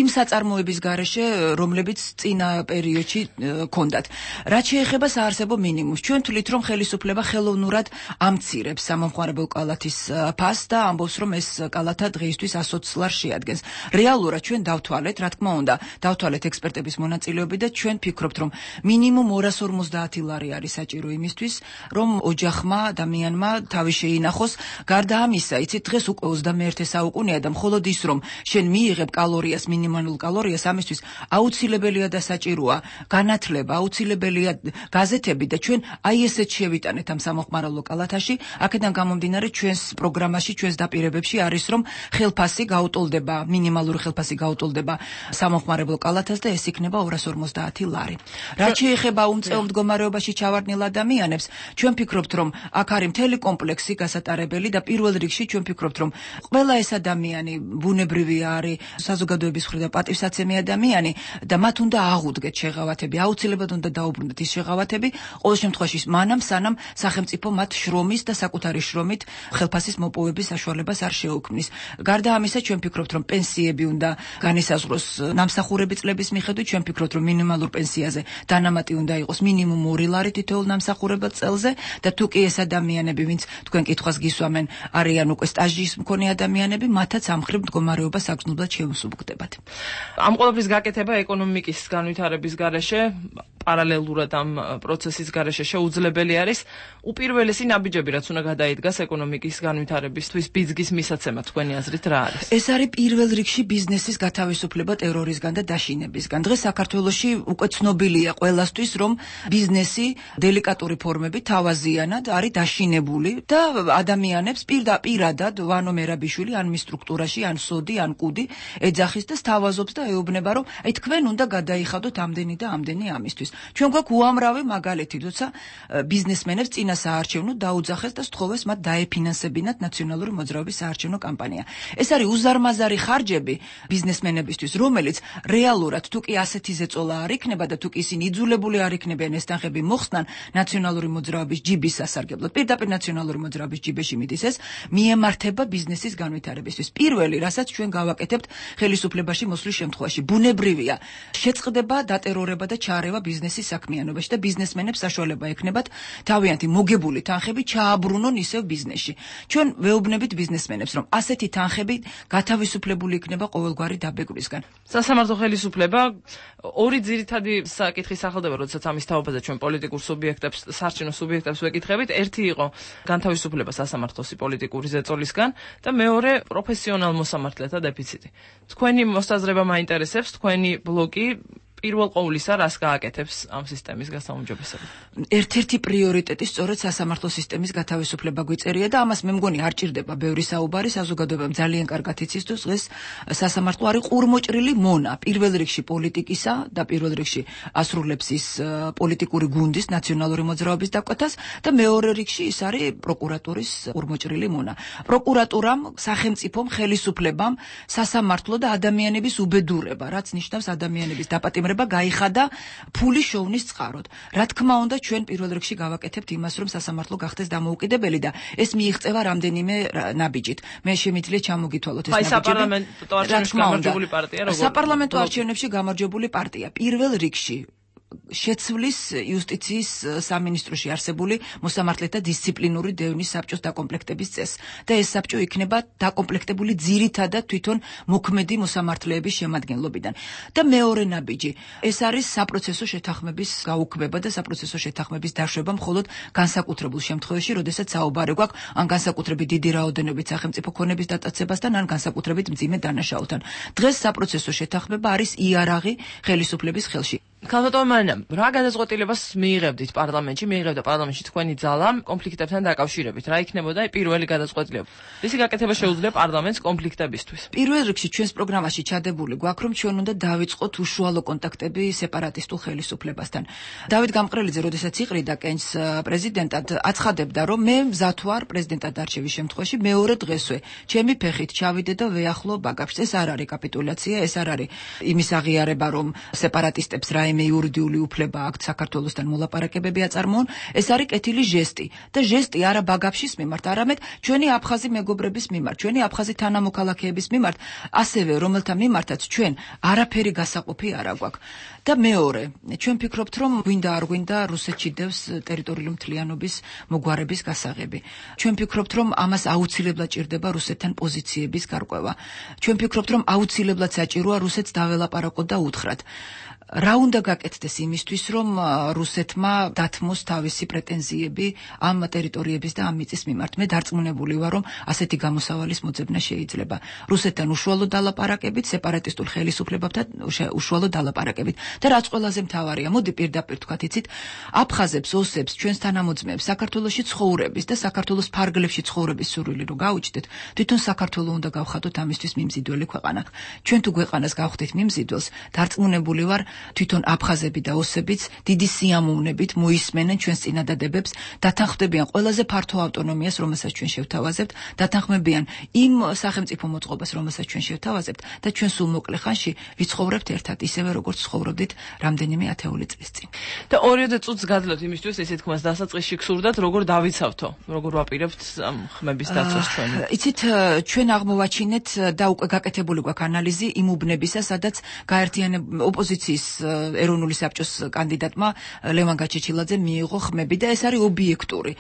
იმ საწარმოების გარეშე, რომლებიც წინა პერიოდში ჰქონდათ. რაც შეეხება საარსებო მინიმუმს, ჩვენ თვლით, რომ ხელისუფლება ხელოვნურად ამცირებს სამომხმარებელ კალათის ფასს და ამბობს, რომ ეს კალათა დღეისთვის 120 ლარს შეადგენს. რეალურად ჩვენ დავთვალეთ, რა თქმა უნდა, დავთვალეთ ექსპერტების მონაწილეობით მონაწილეობით და ჩვენ ფიქრობთ, რომ მინიმუმ 250 ლარი არის საჭირო იმისთვის, რომ ოჯახმა ადამიანმა თავი შეინახოს. გარდა ამისა, იცით, დღეს უკვე 21 საუკუნეა და მხოლოდ ის, რომ შენ მიიღებ კალორიას, მინიმალურ კალორიას, ამისთვის აუცილებელია და საჭიროა განათლება, აუცილებელია გაზეთები და ჩვენ აი ესეც შევიტანეთ ამ სამოხმარავო კალათაში. აქედან გამომდინარე ჩვენს პროგრამაში, ჩვენს დაპირებებში არის, რომ ხელფასი გაუტოლდება, მინიმალური ხელფასი გაუტოლდება სამოხმარავო კალათას და ეს იქნება 250 ლარი. რაც შეეხება უმწეო მდგომარეობაში ჩავარდნილ ადამიანებს, ჩვენ ფიქრობთ, რომ აქ არის მთელი კომპლექსი გასატარებელი და პირველ რიგში ჩვენ ფიქრობთ, რომ ყველა ეს ადამიანი ბუნებრივი არის, საზოგადოების მხრიდან პატივსაცემი ადამიანი და მათ უნდა აღუდგეთ შეღავათები, აუცილებლად უნდა დაუბრუნდეთ ის შეღავათები, ყოველ შემთხვევაში მანამ სანამ სახელმწიფო მათ შრომის და საკუთარი შრომით ხელფასის მოპოვების საშუალებას არ შეუქმნის. გარდა ამისა, ჩვენ ფიქრობთ, რომ პენსიები უნდა განისაზღვროს ნამსახურების წლების მიხედვით, ჩვენ ფიქრობთ, რომ მინიმალურ პენსიაზე დანამატი უნდა იყოს მინიმუმ 2 ლარი თითოეულ ნამსახურებელ წელზე და თუ კი ეს ადამიანები, ვინც თქვენ კითხვას გისვამენ, არიან უკვე სტაჟის მქონე ადამიანები, მათაც ამ მხრივ მდგომარეობა საგრძნობლად შეუსუბუქდებათ. ამ ყოველფრის გაკეთება ეკონომიკის განვითარების გარეშე, პარალელურად ამ პროცესის გარეშე შეუძლებელი არის. უპირველესი ნაბიჯები, რაც უნდა გადაიდგას ეკონომიკის განვითარებისთვის, ბიზნესის მისაცემა თქვენი აზრით რა არის? ეს არის პირველ რიგში ბიზნესის გათავისუფლება ტერორიზმგან და დაშინებისგან. დღეს საქართველოში უკვე ცნობილია ყველასთვის, რომ ბიზნესი დელიკატური ფორმებით თავაზიანად არის დაშინებული და ადამიანებს პირადად ვანო მერაბიშვილი ან მის სტრუქტურაში, ან სოდი, ან კუდი ეძახის და სთავაზობს და ეუბნება, რომ აი თქვენ უნდა გადაიხადოთ ამდენი და ამდენი ამისთვის. ჩვენ გვაქვს უამრავი მაგალითი, როცა ბიზნესმენებს წინა საარჩევნო დაუძახეს და სთხოვეს მათ დაეფინანსებინათ ნაციონალური მოძრაობის საარჩევნო კამპანია. ეს არის უზარმაზარი ხარჯები ბიზნესმენებისთვის, რომელიც რეალურად თუ კი ასეთი ზეწოლა არ იქნება და თუ კი ისინი იძულებული არ იქნებიან ეს თანხები მოხსნან ნაციონალური მოძრაობის ჯიბის სასარგებლოდ, პირდაპირ ნაციონალური მოძრაობის ჯიბეში მიდის ეს მიემართება ბიზნესის განვითარებისთვის. პირველი, რასაც ჩვენ გავაკეთებთ ხელისუფლებაში მოსვლის შემთხვევაში, ბუნებრივია შეწყდება დატერორება და ჩარევა ბიზნესის საქმიანობაში და ბიზნესმენებს საშუალება ექნებათ თავიანთი მოგებული თანხები ჩააბრუნონ ისევ ბიზნესში. ჩვენ ვეუბნებით ბიზნესმენებს, რომ ასეთი თანხები გათავისუფლებული იქნება ყოველგვარი დაბეგვისგან. სასამართლო ხელისუფლება ორი ძირითადი საკითხი სახელდება, როდესაც ამის თაობაზე ჩვენ პოლიტიკურ სუბიექტებს, საარჩევნო სუბიექტებს ვეკითხებით. ერთი იყო განთავისუფლება სასამართლოს პოლიტიკური ზეწოლისგან და მეორე პროფესიონალ მოსამართლეთა დეფიციტი. თქვენი მოსაზრება მაინტერესებს, თქვენი ბლოკი პირველ ყოვლისა რას გააკეთებს ამ სისტემის გასაუმჯობესებლად? ერთ-ერთი პრიორიტეტი სწორედ სასამართლო სისტემის გათავისუფლება გვიწერია და ამას მე მგონი არ ჭირდება ბევრი საუბარი, საზოგადოებამ ძალიან კარგად იცის, თუ დღეს სასამართლო არის ყურმოჭრილი მონა პირველ რიგში პოლიტიკისა და პირველ რიგში ასრულებს ის პოლიტიკური გუნდის ნაციონალური მოძრაობის დაკვეთას და მეორე რიგში ის არის პროკურატურის ყურმოჭრილი მონა. პროკურატურამ, სახელმწიფომ, ხელისუფლებამ სასამართლო და ადამიანების უბედურება, რაც ნიშნავს ადამიანების დაპატიმრება გაიხადა ფული შოვნის წყაროდ. რა თქმა უნდა, ჩვენ პირველ რიგში გავაკეთებთ იმას, რომ სასამართლო გახდეს დამოუკიდებელი და ეს მიიღწევა რამდენიმე ნაბიჯით. მე შემიძლია ჩამოგითვალოთ ეს ნაბიჯები. საპარლამენტო არჩევნებში გამარჯვებული პარტია როგორ? საპარლამენტო არჩევნებში გამარჯვებული პარტია პირველ რიგში შეცვლის იუსტიციის სამინისტროში არსებული მოსამართლეთა დისციპლინური დევნის საბჭოს დაკომპლექტების წესს და ეს საბჭო იქნება დაკომპლექტებული ძირითადად თვითონ მოქმედი მოსამართლეების შემადგენლობიდან. და მეორე ნაბიჯი, ეს არის საპროცესო შეთანხმების გაუქმება და საპროცესო შეთანხმების დაშვება მხოლოდ განსაკუთრებულ შემთხვევაში, როდესაც საუბარი გვაქვს ან განსაკუთრებით დიდი რაოდენობით სახელმწიფო ქონების დატაცებასთან, ან განსაკუთრებით მძიმე დანაშაულთან. დღეს საპროცესო შეთანხმება არის იარაღი ხელისუფლების ხელში. ქალბატონო, რა გადაწყვეტილებას მიიღებდით პარლამენტში თქვენი ძალა კონფლიქტებთან დაკავშირებით? რა იქნებოდა პირველი გადაწყვეტილება? ისი გაკეთება შეუძლია პარლამენტს კონფლიქტებისთვის? პირველ რიგში ჩვენს პროგრამაში ჩადებული გვაქვს, რომ ჩვენ უნდა დავიწყოთ უშუალო კონტაქტები სეპარატისტულ ხელისუფლებასთან. დავით გამყრელიძე, როდესაც იყრიდა კენჭს პრეზიდენტად, აცხადებდა, რომ მე მზად ვარ პრეზიდენტად არჩევის შემთხვევაში მეორე დღესვე ჩემი ფეხით ჩავიდე და ვეახლო ბაგაფშს. ეს არ არის კაპიტულაცია, ეს არ არის იმის აღიარება, რომ სეპარატისტებს რაიმე იურიდიული უფლება აქვთ საქართველოსთან მოლაპარაკებები აწარმოონ, ეს არის კეთილი ჟესტი და ჟესტი არა ბაგაფშის მიმართ, არამედ ჩვენი აფხაზი მეგობრების მიმართ, ჩვენი აფხაზი თანამოქალაქეების მიმართ, ასევე რომელთა მიმართაც ჩვენ არაფერი გასაყოფი არ აგვაქვს. და მეორე, ჩვენ ფიქრობთ, რომ გვინდა არ გვინდა რუსეთში დევს ტერიტორიული მთლიანობის მოგვარების გასაღები. ჩვენ ფიქრობთ, რომ ამას აუცილებლად ჭირდება რუსეთთან პოზიციების გარკვევა. ჩვენ ფიქრობთ, რომ აუცილებლად საჭიროა რუსეთს დაველაპარაკოთ და უთხრათ. რა უნდა გაკეთდეს იმისთვის, რომ რუსეთმა დათმოს თავისი პრეტენზიები ამ ტერიტორიების და ამ მიწის მიმართ? მე დარწმუნებული ვარ, რომ ასეთი გამოსავალის მოძებნა შეიძლება. რუსეთთან უშუალო დალაპარაკებით, სეპარატისტულ ხელისუფლებებთან უშუალო დალაპარაკებით. და რაც ყველაზე მთავარია, მოდი პირდაპირ თქვათ, იცით, აფხაზებს, ოსებს, ჩვენს თანამოძმეებს საქართველოში ცხოვრების და საქართველოს ფარგლებში ცხოვრების სურვილი რო გაუჩნდეთ, თვითონ საქართველო უნდა გავხადოთ ამისთვის მიმზიდველი ქვეყანა. ჩვენ თუ ქვეყანას გავხდით მიმზიდველს, დარწმუნებული ვარ, თვითონ აფხაზები და ოსებიც დიდი სიამოვნებით მოისმენენ ჩვენს წინადადებებს, დათანხმდებიან ყველაზე ფართო ავტონომიას, რომელსაც ჩვენ შევთავაზებთ, დათანხმებიან იმ სახელმწიფო მოწყობას, რომელსაც ჩვენ შევთავაზებთ და ჩვენ სულ მოკლე ხანში ვიცხოვრებთ ერთად, ისევე როგორც ცხოვრობდით რამდენიმე ათეული წლის წინ. და 2 წუთს გადლევთ იმისთვის, ესე თქმას, დასაწყისში გსურდათ, როგორ დავიცავთო, როგორ ვაპირებთ ამ ხმების დაცვას ჩვენ. იცით, ჩვენ აღმოვაჩინეთ და უკვე გაკეთებული გვაქვს ანალიზი იმ უბნებისა, სადაც ოპოზიციის ეროვნული საბჭოს კანდიდატმა ლევან გაჩეჩილაძე მიიღო ხმები და ეს არის ობიექტური.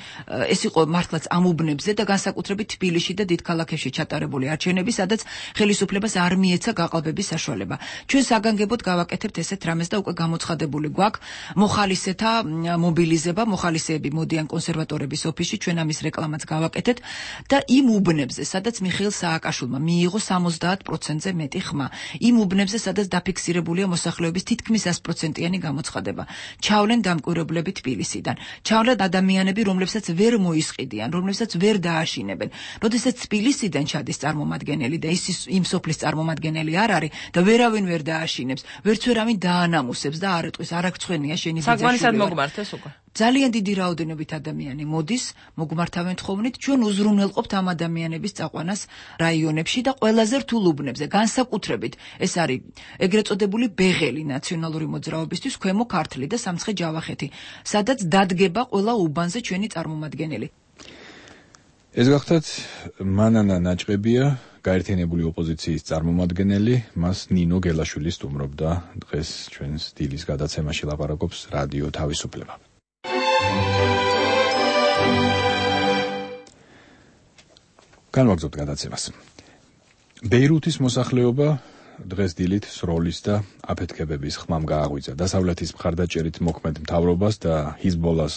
ეს იყო მართლაც ამ უბნებზე და განსაკუთრებით თბილისში და დიდ ქალაქებში ჩატარებული არჩევნები, სადაც ხელისუფლებას არ მიეცა გაყალბების საშუალება. ჩვენ საგანგებოდ გავაკეთებთ ესეთ რამეს და უკვე გამოცხადებული გვაქვს მოხალისეთა მობილიზება, მოხალისეები მოდიან კონსერვატორების ოფისში, ჩვენ ამის რეკლამაც გავაკეთეთ და იმ უბნებზე, სადაც მიხეილ სააკაშვილმა მიიღო 70%-ზე მეტი ხმა, იმ უბნებზე, სადაც დაფიქსირებულია მოსახლეობის თითქმის 100%-იანი გამოცხადება. ჩავლენ დამკვირვებლები თბილისიდან, ჩავლენ ადამიანები, რომლებსაც ვერ მოისყიდიან, რომლებსაც ვერ დააშინებენ. როდესაც თბილისიდან ჩადის წარმომადგენელი და ის იმ სოფლის წარმომადგენელი არ არის და ვერავინ ვერ დააშინებს, ვერც ვერავინ დაანამუსებს და არ ეტყვის, არ აღწვენია შენი ბიძაშვილი. საგმანისად მოგმართეს უკვე. ძალიან დიდი რაოდენობით ადამიანი მოდის, მოგმართავენ თხოვნით, ჩვენ უზრუნველყოფთ ამ ადამიანების წაყვანას რაიონებში და ყველაზე რთულ უბნებზე, განსაკუთრებით ეს არის ეგრეთ წოდებული ბეღელი ნაციონალური მოძრაობისთვის, ქვემო ქართლი და სამცხე-ჯავახეთი, სადაც დადგება ყველა უბანზე ჩვენი წარმომადგენელი. ეს გახლავთ მანანა ნაჭყებია, გაერთიანებული ოპოზიციის წარმომადგენელი, მას ნინო გელაშვილი სტუმრობდა დღეს ჩვენს დილის გადაცემაში ლაპარაკობს რადიო თავისუფლება. განვაგრძობთ გადაცემას. ბეირუთის მოსახლეობა დღეს დილით სროლის და აფეთქებების ხმამ გააღვიძა. დასავლეთის მხარდაჭერით მოქმედ მთავრობას და ჰიზბოლას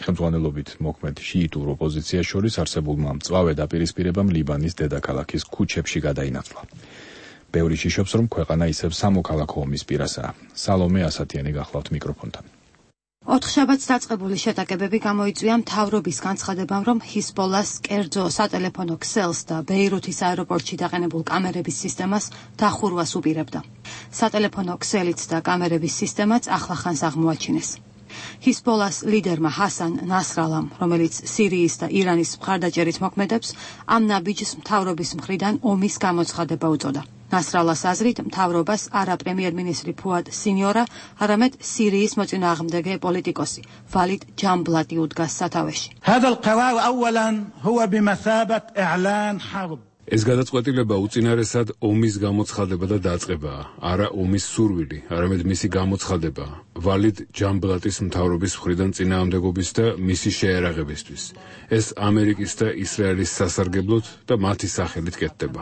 ხელმძღვანელობით მოქმედ შიიტურ ოპოზიციას შორის არსებულმა მწვავე დაპირისპირებამ ლიბანის დედაქალაქის ქუჩებში გადაინაცვლა. ბევრი შიშობს, რომ ქვეყანა ისევ სამოქალაქო ომის პირასაა. სალომე ასათიანი გახლავთ მიკროფონთან. ოთხშაბათს დაწყებული შეტაკებები გამოიწვია მთავრობის განცხადებამ, რომ ჰიზბოლას კერძო სატელეფონო ქსელს და ბეირუთის აეროპორტში დაყენებულ კამერების სისტემას დახურვას უპირებდა. სატელეფონო ქსელიც და კამერების სისტემაც ახლახანს აღმოაჩინეს. ჰიზბოლას ლიდერმა ჰასან ნასრალამ, რომელიც სირიის და ირანის მხარდაჭერით მოქმედებს, ამ ნაბიჯს მთავრობის მხრიდან ომის გამოცხადება უწოდა. ნასრალას აზრით, მთავრობას არა პრემიერ-მინისტრი ფუად სინიორა, არამედ სირიის მოწინააღმდეგე პოლიტიკოსი ვალიდ ჯამბლატი უდგას სათავეში. هذا القرار أولا هو بمثابة إعلان حرب. ეს გადაწყვეტილება უწინარესად ომის გამოცხადება და დაწყებაა, არა ომის სურვილი, არამედ მისი გამოცხადება ვალიდ ჯამბლატის მთავრობის მხრიდან წინააღმდეგობის და მისი შეერაღებისთვის. ეს ამერიკის და ისრაელის სასარგებლოდ და მათი სახელით კეთდება.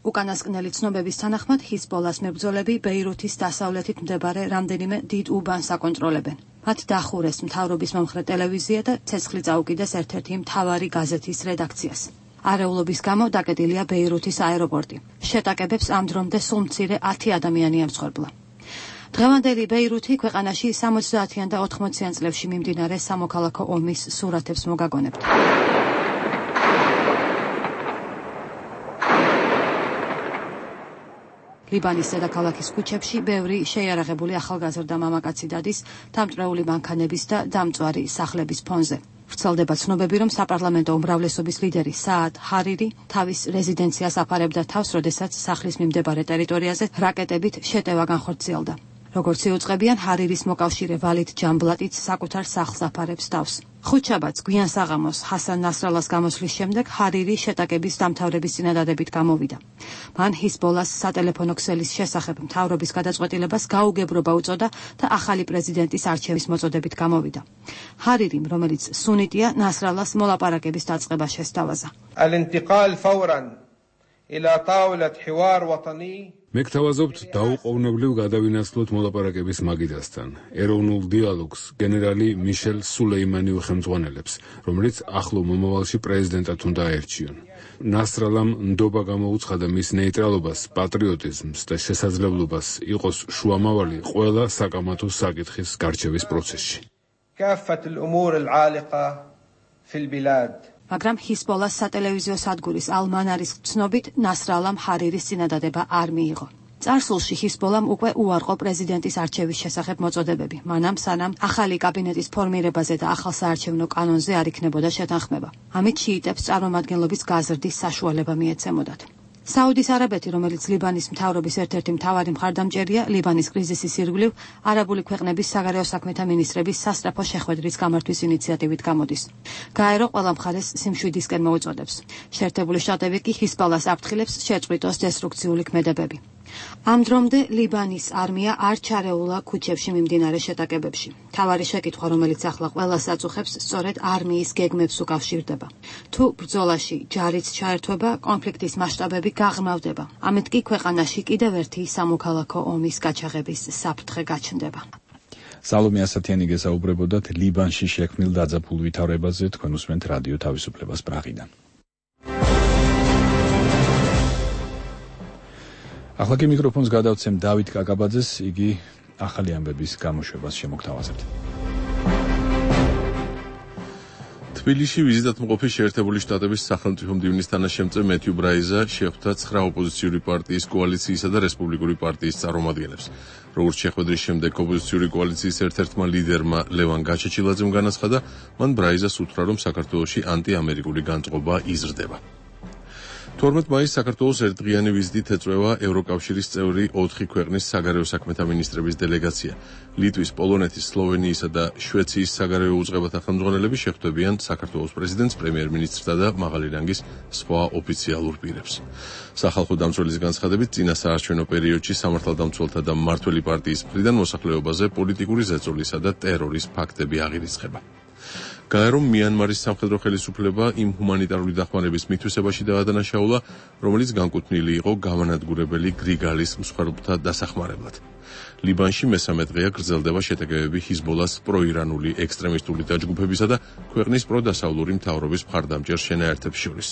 უკანასკნელი ცნობების თანახმად ჰიზბოლას მებრძოლები ბეირუთის დასავლეთით მდებარე რამდენიმე დიდ უბანს აკონტროლებენ. მათ დახურეს მთავრობის მომხრე ტელევიზია და ცეცხლი წაუკიდეს ერთ-ერთი მთავარი გაზეთის რედაქციას. არეულობის გამო დაკეტილია ბეირუთის აეროპორტი. შეტაკებებს ამ დრომდე სულ მცირე 10 ადამიანი ემსხვერპლა. დღევანდელი ბეირუთი ქვეყანაში 70-იან და 80-იან წლებში მიმდინარე სამოქალაქო ომის სურათებს მოგაგონებთ. ლიბანის დედაქალაქის ქუჩებში ბევრი შეიარაღებული ახალგაზრდა მამაკაცი დადის დამწვრეული მანქანების და დამწვარი სახლების ფონზე. ვრცელდება ცნობები, რომ საპარლამენტო უმრავლესობის ლიდერი საად ჰარირი თავის რეზიდენციას აფარებდა თავს, როდესაც სახლის მიმდებარე ტერიტორიაზე რაკეტებით შეტევა განხორციელდა. როგორც იუწყებიან, ჰარირის მოკავშირე ვალიდ ჯამბლატიც საკუთარ სახლს აფარებს თავს. ხუთშაბათს გვიან საღამოს ჰასან ნასრალას გამოსვლის შემდეგ ჰარირი შეტაკების დამთავრების წინადადებით გამოვიდა. მან ჰიზბოლას სატელეფონო ქსელის შესახებ მთავრობის გადაწყვეტილებას გაუგებრობა უწოდა და ახალი პრეზიდენტის არჩევის მოწოდებით გამოვიდა. ჰარირიმ, რომელიც სუნიტია, ნასრალას მოლაპარაკების დაწყება შესთავაზა. الانتقال فورا إلى طاولة حوار وطني მე გთავაზობთ დაუყოვნებლივ გადავინაცვლოთ მოლაპარაკების მაგიდასთან ეროვნულ დიალოგს გენერალი მიშელ სულეიმანი უხელმძღვანელებს, რომელიც ახლო მომავალში პრეზიდენტად უნდა აერჩიონ. ნასრალამ ნდობა გამოუცხადა მის ნეიტრალობას, პატრიოტიზმს და შესაძლებლობას იყოს შუამავალი ყველა საკამათო საკითხის გარჩევის პროცესში. كافة الأمور العالقة في البلاد. მაგრამ ჰიზბოლას სატელევიზიო სადგურის ალ-მანარის ცნობით ნასრალამ ჰარირის წინადადება არ მიიღო. წარსულში ჰიზბოლამ უკვე უარყო პრეზიდენტის არჩევის შესახებ მოწოდებები, მანამ სანამ ახალი კაბინეტის ფორმირებაზე და ახალ საარჩევნო კანონზე არ იქნებოდა შეთანხმება. ამით შიიტებს წარმომადგენლობის გაზრდის საშუალება მიეცემოდათ. საუდის არაბეთი, რომელიც ლიბანის მთავრობის ერთ-ერთი მთავარი მხარდამჭერია, ლიბანის კრიზისის ირგვლივ არაბული ქვეყნების საგარეო საქმეთა მინისტრების სასწრაფო შეხვედრის გამართვის ინიციატივით გამოდის. გაერო ყველა მხარეს სიმშვიდისკენ მოუწოდებს. შეერთებული შტატები კი ჰიზბალას აფრთხილებს შეწყვიტოს დესტრუქციული ქმედებები. ამ დრომდე ლიბანის არმია არ ჩარეულა ქუჩებში მიმდინარე შეტაკებებში. მთავარი შეკითხვა, რომელიც ახლა ყველას აწუხებს, სწორედ არმიის გეგმებს უკავშირდება. თუ ბრძოლაში ჯარიც ჩაერთვება, კონფლიქტის მასშტაბები გაღრმავდება. ამით კი ქვეყანაში კიდევ ერთი სამოქალაქო ომის გაჩაღების საფრთხე გაჩნდება. სალომე ასათიანი გესაუბრებოდათ ლიბანში შექმნილ დაძაბულ ვითარებაზე, თქვენ უსმენთ რადიო თავისუფლებას პრაღიდან. ახლა კი მიკროფონს გადავცემ დავით კაკაბაძეს, იგი ახალი ამბების გამოშვებას შემოგთავაზებთ. თბილისში ვიზიტად მყოფი შეერთებული შტატების სახელმწიფო მდივნის თანაშემწე მეთიუ ბრაიზა შეხვდა 9 ოპოზიციური პარტიის კოალიციისა და რესპუბლიკური პარტიის წარმომადგენლებს. როგორც შეხვედრის შემდეგ ოპოზიციური კოალიციის ერთ-ერთმა ლიდერმა ლევან გაჩეჩილაძემ განაცხადა, მან ბრაიზას უთხრა, რომ საქართველოში ანტიამერიკული განწყობა იზრდება. 12 მაისს საქართველოს ერთდღიანი ვიზიტით ეწვევა ევროკავშირის წევრი 4 ქვეყნის საგარეო საქმეთა მინისტრების დელეგაცია. ლიტვის, პოლონეთის, სლოვენიისა და შვეციის საგარეო უწყებათა ხელმძღვანელები შეხვდებიან საქართველოს პრეზიდენტს, პრემიერ-მინისტრთა და მაღალი რანგის სხვა ოფიციალურ პირებს. სახალხო დამცველის განცხადებით, წინა საარჩევნო პერიოდში სამართალდამცველთა და მმართველი პარტიის მხრიდან მოსახლეობაზე პოლიტიკური ზეწოლისა და ტერორის ფაქტები აღირიცხება. გაერო მიანმარის სამხედრო ხელისუფლება იმ ჰუმანიტარული დახმარების მითვისებაში დაადანაშაულა, რომელიც განკუთვნილი იყო გამანადგურებელი გრიგალის მსხვერპლთა დასახმარებლად. ლიბანში მესამე დღეა გრძელდება შეტაკებები ჰიზბოლას პროირანული ექსტრემისტული დაჯგუფებისა და ქვეყნის პროდასავლური მთავრობის მხარდამჭერ შენაერთებს შორის.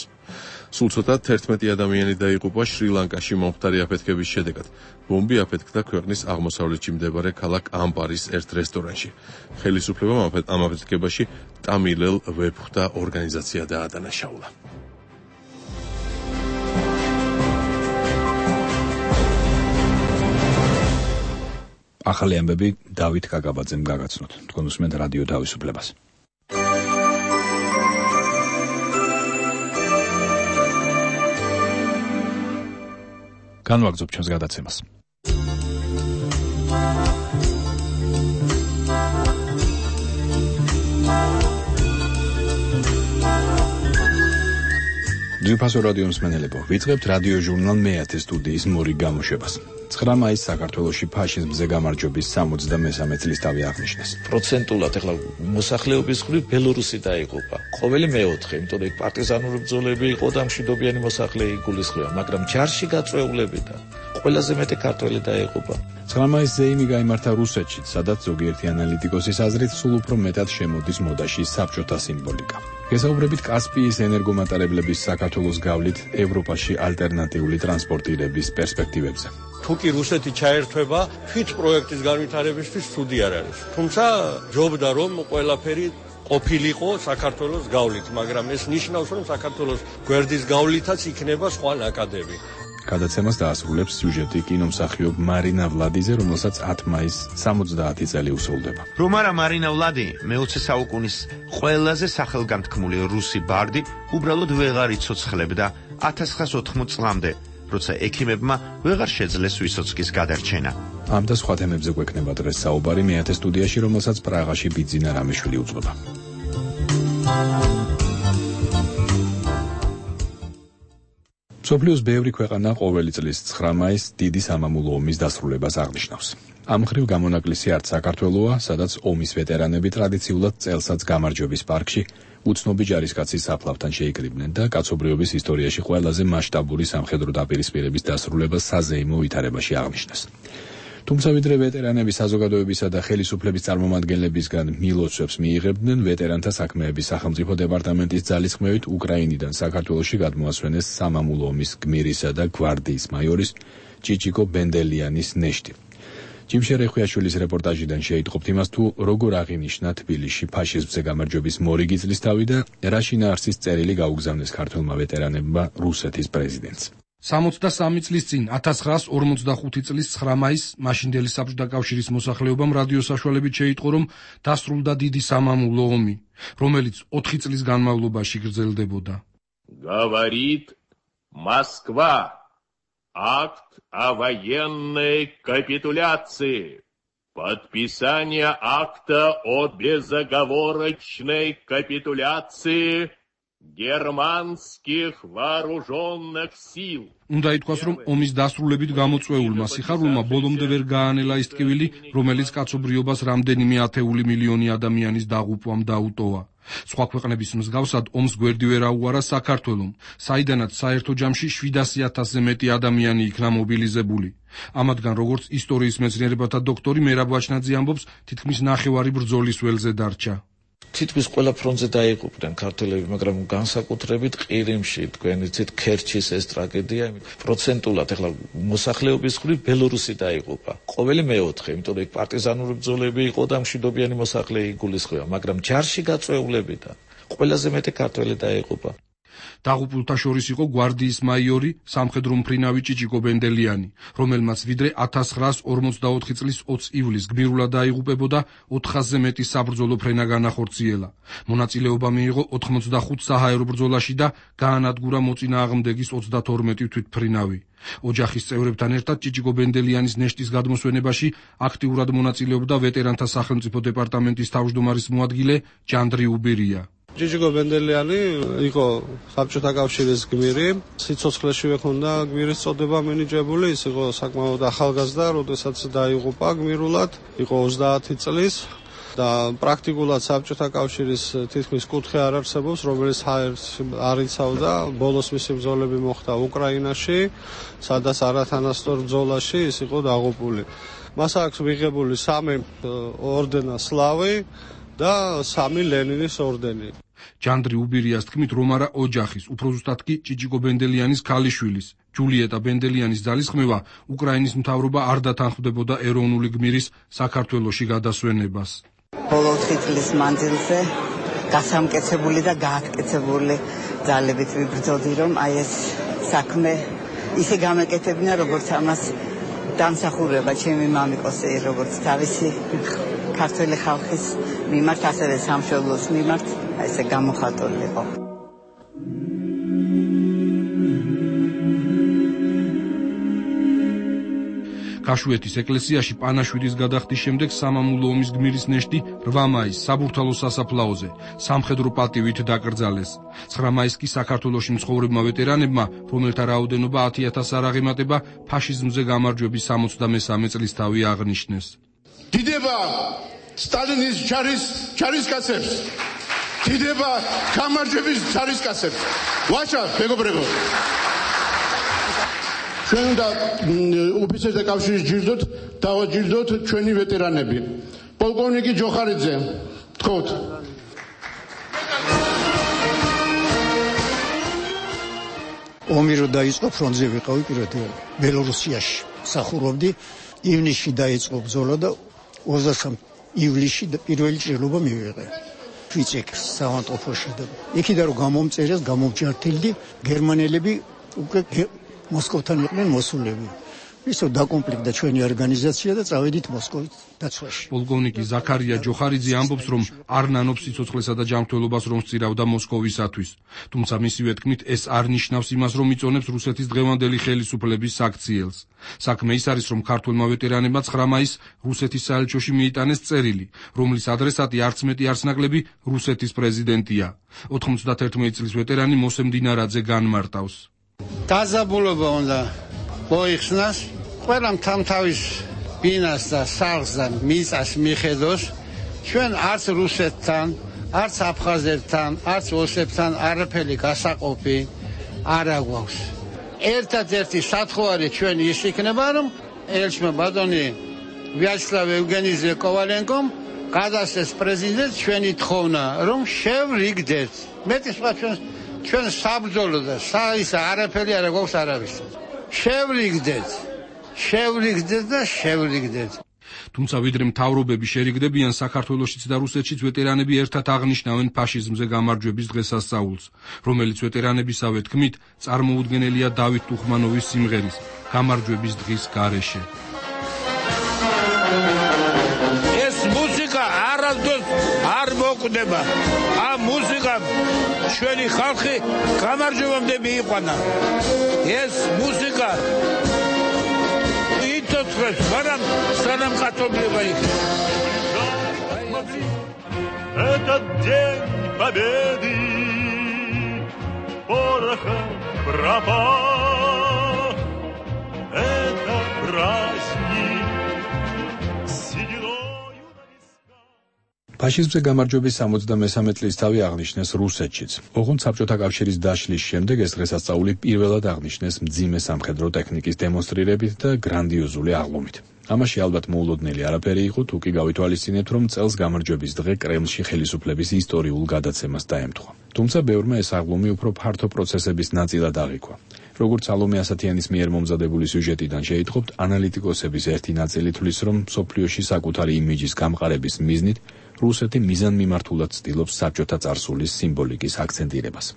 სულ ცოტა 11 ადამიანი დაიღუპა შრი-ლანკაში მომხდარი აფეთქების შედეგად. ბომბი აფეთქდა ქვეყნის აღმოსავლეთში მდებარე ქალაქ ამპარის ერთ რესტორანში. ხელისუფლებამ ამ აფეთქებაში ტამილელ ვეფხვთა ორგანიზაცია დაადანაშაულა. ახალი ამბები დავით კაკაბაძემ გაგაცნოთ. თქვენ უსმენთ რადიო თავისუფლებას. განვაგრძობ ჩვენს გადაცემას. ძვირფასო რადიო მსმენელებო, ვიწყებთ რადიო ჟურნალ მეათე სტუდიის მორიგ გამოშვებას. 9 მაისს საქართველოში ფაშიზმზე გამარჯვების 63 წლისთავი აღნიშნეს. პროცენტულად ახლა მოსახლეობის მხრივ ბელორუსი დაიღუპა. ყოველი მეოთხე, იმიტომ რომ პარტიზანური ბრძოლები იყო და მშვიდობიანი მოსახლეები იგულისხმება, მაგრამ ჯარში გაწვეულებიდან ყველაზე მეტი ქართველი დაიღუპა. 9 მაისს ზეიმი გაიმართა რუსეთში, სადაც ზოგიერთი ანალიტიკოსის აზრით სულ უფრო მეტად შემოდის მოდაში საბჭოთა სიმბოლიკა. გესაუბრებით კასპიის ენერგომატარებლების საქართველოს გავლით ევროპაში ალტერნატიული ტრანსპორტირების პერსპექტივებზე. თუ კი რუსეთი ჩაერთვება, თვით პროექტის განვითარებისთვის ცუდი არ არის. თუმცა ჯობდა რომ ყველაფერი ყოფილიყო საქართველოს გავლით, მაგრამ ეს ნიშნავს, რომ საქართველოს გვერდის გავლითაც იქნება სხვა ნაკადები. გადაცემას დაასრულებს სიუჟეტი კინომსახიობ მარინა ვლადიზე, რომელსაც 10 მაისს 70 წელი უსრულდება. რომ არა მარინა ვლადი, მე-20 საუკუნის ყველაზე სახელგანთქმული რუსი ბარდი, უბრალოდ ვეღარ იცოცხლებდა 1980 წლამდე, როცა ექიმებმა ვეღარ შეძლეს ვისოცკის გადარჩენა. ამ და სხვა თემებზე გვექნება დღეს საუბარი მეათე სტუდიაში, რომელსაც პრაღაში ბიძინა რამიშვილი უძღვება. მსოფლიოს ბევრი ქვეყანა ყოველი წლის 9 მაისს დიდი სამამულო ომის დასრულებას აღნიშნავს. ამ მხრივ გამონაკლისი არც საქართველოა, სადაც ომის ვეტერანები ტრადიციულად წელსაც გამარჯვების პარკში უცნობი ჯარისკაცის საფლავთან შეიკრიბნენ და კაცობრიობის ისტორიაში ყველაზე მასშტაბური სამხედრო დაპირისპირების დასრულებას საზეიმო ვითარებაში აღნიშნეს. თუმცა ვიდრე ვეტერანები საზოგადოებისა და ხელისუფლების წარმომადგენლებისგან მილოცვებს მიიღებდნენ, ვეტერანთა საქმეების სახელმწიფო დეპარტამენტის ძალისხმევით უკრაინიდან საქართველოში გადმოასვენეს სამამულო ომის გმირისა და გვარდიის მაიორის ჭიჭიკო ბენდელიანის ნეშტი. ჯიმშერ ეხვიაშვილის რეპორტაჟიდან შეიტყობთ იმას, თუ როგორ აღინიშნა თბილისში ფაშიზმზე გამარჯვების მორიგი წლისთავი და რა შინაარსის წერილი გაუგზავნეს ქართველმა ვეტერანებმა რუსეთის პრეზიდენტს. 63 წლის წინ 1945 წლის 9 მაისს მაშინდელი საბჭოთა კავშირის მოსახლეობამ რადიო საშუალებით შეიტყო, რომ დასრულდა დიდი სამამულო ომი, რომელიც 4 წლის განმავლობაში გრძელდებოდა. Говорит Москва. Акт о военной капитуляции. Подписание акта о безоговорочной капитуляции германских вооруженных сил. უნდა ითქვას, რომ ომის დასრულებით გამოწვეულმა სიხარულმა ბოლომდე ვერ გაანელა ის ტკივილი, რომელიც კაცობრიობას რამდენიმე ათეული მილიონი ადამიანის დაღუპვამ დაუტოვა. სხვა ქვეყნების მსგავსად ომს გვერდი ვერ აუარა საქართველომ, საიდანაც საერთო ჯამში 700,000-ზე მეტი ადამიანი იქნა მობილიზებული. ამათგან, როგორც ისტორიის მეცნიერებათა დოქტორი მერაბ ვაჩნაძე ამბობს, თითქმის ნახევარი ბრძოლის ველზე დარჩა. თითქმის ყველა ფრონტზე დაიღუპნენ ქართველები, მაგრამ განსაკუთრებით ყირიმში, თქვენ იცით, ქერჩის ეს ტრაგედია, პროცენტულად ახლა მოსახლეობის მხრივ ბელორუსი დაიღუპა. ყოველი მეოთხე, იმიტომ რომ პარტიზანური ბრძოლები იყო და მშვიდობიანი მოსახლე იგულისხმება, მაგრამ ჯარში გაწვეულებიდან ყველაზე მეტი ქართველი დაიღუპა. დაღუპულთა შორის იყო გვარდიის მაიორი, სამხედრო მფრინავი ჭიჭიკო ბენდელიანი, რომელმაც ვიდრე 1944 წლის 20 ივლისს გმირულად დაიღუპებოდა 400-ზე მეტი საბრძოლო ფრენა განახორციელა. მონაწილეობა მიიღო 85 საჰაერო ბრძოლაში და გაანადგურა მოწინააღმდეგის 32 თვითმფრინავი. ოჯახის წევრებთან ერთად ჭიჭიკო ბენდელიანის ნეშტის გადმოსვენებაში აქტიურად მონაწილეობდა ვეტერანთა სახელმწიფო დეპარტამენტის თავმჯდომარის მოადგილე ჯანდრი უბირია. ჭიჭიკო ბენდელიანი იყო საბჭოთა კავშირის გმირი, სიცოცხლეშივე ჰქონდა გმირის წოდება მინიჭებული, ის იყო საკმაოდ ახალგაზრდა, როდესაც დაიღუპა გმირულად, იყო 30 წლის და პრაქტიკულად საბჭოთა კავშირის თითქმის კუთხე არ არსებობს, რომელიც არ იცავდა. ბოლოს მისი ბრძოლები მოხდა უკრაინაში, სადაც არათანასწორ ბრძოლაში ის იყო დაღუპული. მას აქვს მიღებული 3 ორდენა სლავი და 3 ლენინის ორდენი. ჯანდრი უბირიას თქმით, რომ არა ოჯახის, უფრო ზუსტად კი ჭიჭიკო ბენდელიანის ქალიშვილის, ჯულიეტა ბენდელიანის ძალისხმევა უკრაინის მთავრობა არ დათანხმდებოდა ეროვნული გმირის საქართველოში გადასვენებას. ბოლო 4 წლის მანძილზე გასამკაცებული და გააკეთებული ძალებით ვიბრძოდი, რომ აი ეს საქმე ისე გამეკეთებინა, როგორც ამას დამსახურება ჩემი მამიკოსი, როგორც თავისი ქართველი ხალხის მიმართ, ასევე სამშობლოს მიმართ, ესე გამოხატულიყო. ქაშვეთის ეკლესიაში პანაშვიდის გადახდის შემდეგ სამამულო ომის გმირის ნეშტი 8 მაისს საბურთალოს სასაფლაოზე სამხედრო პატივით დაკრძალეს. 9 მაისს კი საქართველოში მცხოვრებმა ვეტერანებმა, რომელთა რაოდენობა 10,000 არ აღემატება, ფაშიზმზე გამარჯვების 63 წლისთავი აღნიშნეს. დიდება სტალინის ჯარისკაცებს, დიდება გამარჯვების ჯარისკაცებს. ვაჭა, მეგობრებო, ჩვენ და ოფიცერთა კავშირის ჯილდოთ დავაჯილდოთ ჩვენი ვეტერანები. პოლკოვნიკი ჯოხარიძე, თქოთ. ომი რო დაიწყო, ფრონტზე ვიყავი პირადად ბელორუსიაში. მსახურობდი, ივნისში დაიწყო ბრძოლა და 23 ივლისში პირველი ჭრილობა მივიღე. ვიწეკ საავადმყოფოში და იქიდან რომ გამომწერეს, გამომჯართილდი, გერმანელები უკვე მოსკოვთან იყვნენ მოსულები. ისო დაკომპლექტდა ჩვენი ორგანიზაცია და წავედით მოსკოვის დაცვაში. პოლკოვნიკი ზაქარია ჯოხარიძე ამბობს, რომ არ ნანობს სიცოცხლესა და ჯანმრთელობას, რომ სწირავდა მოსკოვისათვის. თუმცა მისივე თქმით, ეს არ ნიშნავს იმას, რომ იწონებს რუსეთის დღევანდელი ხელისუფლების საქციელს. საქმე ის არის, რომ ქართველმა ვეტერანებმა 9 მაისს რუსეთის საელჩოში მიიტანეს წერილი, რომლის ადრესატი არც მეტი არც ნაკლები რუსეთის პრეზიდენტია. 91 წლის ვეტერანი მოსე მდინარაძე განმარტავს. დაზაბულობა უნდა მოიხსნას, ყველამ თავის ბინას და სახლს და მიწას მიხედოს, ჩვენ არც რუსეთთან, არც აფხაზეთთან, არც ოსებთან არაფერი გასაყოფი არ აგვაქვს. ერთადერთი სათხოვარი ჩვენ ის იქნება, რომ ელჩმა ბატონი ვიაჩსლავ ევგენიძე კოვალენკომ გადასცეს პრეზიდენტს ჩვენი თხოვნა, რომ შევრიგდეთ. მეტი სხვა ჩვენ საბრძოლო და საისა არაფერი არ გვაქვს არავის. შევრიგდეთ და შევრიგდეთ. თუმცა ვიდრე მთავრობები შერიგდებიან, საქართველოშიც და რუსეთშიც ვეტერანები ერთად აღნიშნავენ ფაშიზმზე გამარჯვების დღესასწაულს, რომელიც ვეტერანებისავე თქმით წარმოუდგენელია დავით ტუხმანოვის სიმღერის გამარჯვების დღის გარეშე. ეს მუსიკა არასდროს არ მოკვდება. ამ მუსიკამ ჩვენი ხალხი გამარჯვებამდე მიიყვანა. ეს მუსიკა იცოცხლებს, მაგრამ სანამ კაცობრიობა იქნება. Этот день победы порохом пропах. Это праздник сединою на висках. ფაშიზმზე გამარჯვების 73 წლისთავი აღნიშნეს რუსეთშიც. ოღონდ საბჭოთა კავშირის დაშლის შემდეგ ეს დღესასწაული პირველად აღნიშნეს მძიმე სამხედრო ტექნიკის დემონსტრირებით და გრანდიოზული აღლუმით. ამაში ალბათ მოულოდნელი არაფერი იყო, თუ კი გავითვალისწინებთ, რომ წელს გამარჯვების დღე კრემლში ხელისუფლების ისტორიულ გადაცემას დაემთხვა. თუმცა ბევრმა ეს აღლუმი უფრო ფართო პროცესების ნაწილად აღიქვა. როგორც ალომე ასათიანის მიერ მომზადებული სიუჟეტიდან შეიტყობთ, ანალიტიკოსების ერთი ნაწილი თვლის, რომ მსოფლიოში საკუთარი იმიჯის გამყარების მიზნით რუსეთი მიზანმიმართულად ცდილობს საბჭოთა წარსულის სიმბოლიკის აქცენტირებას.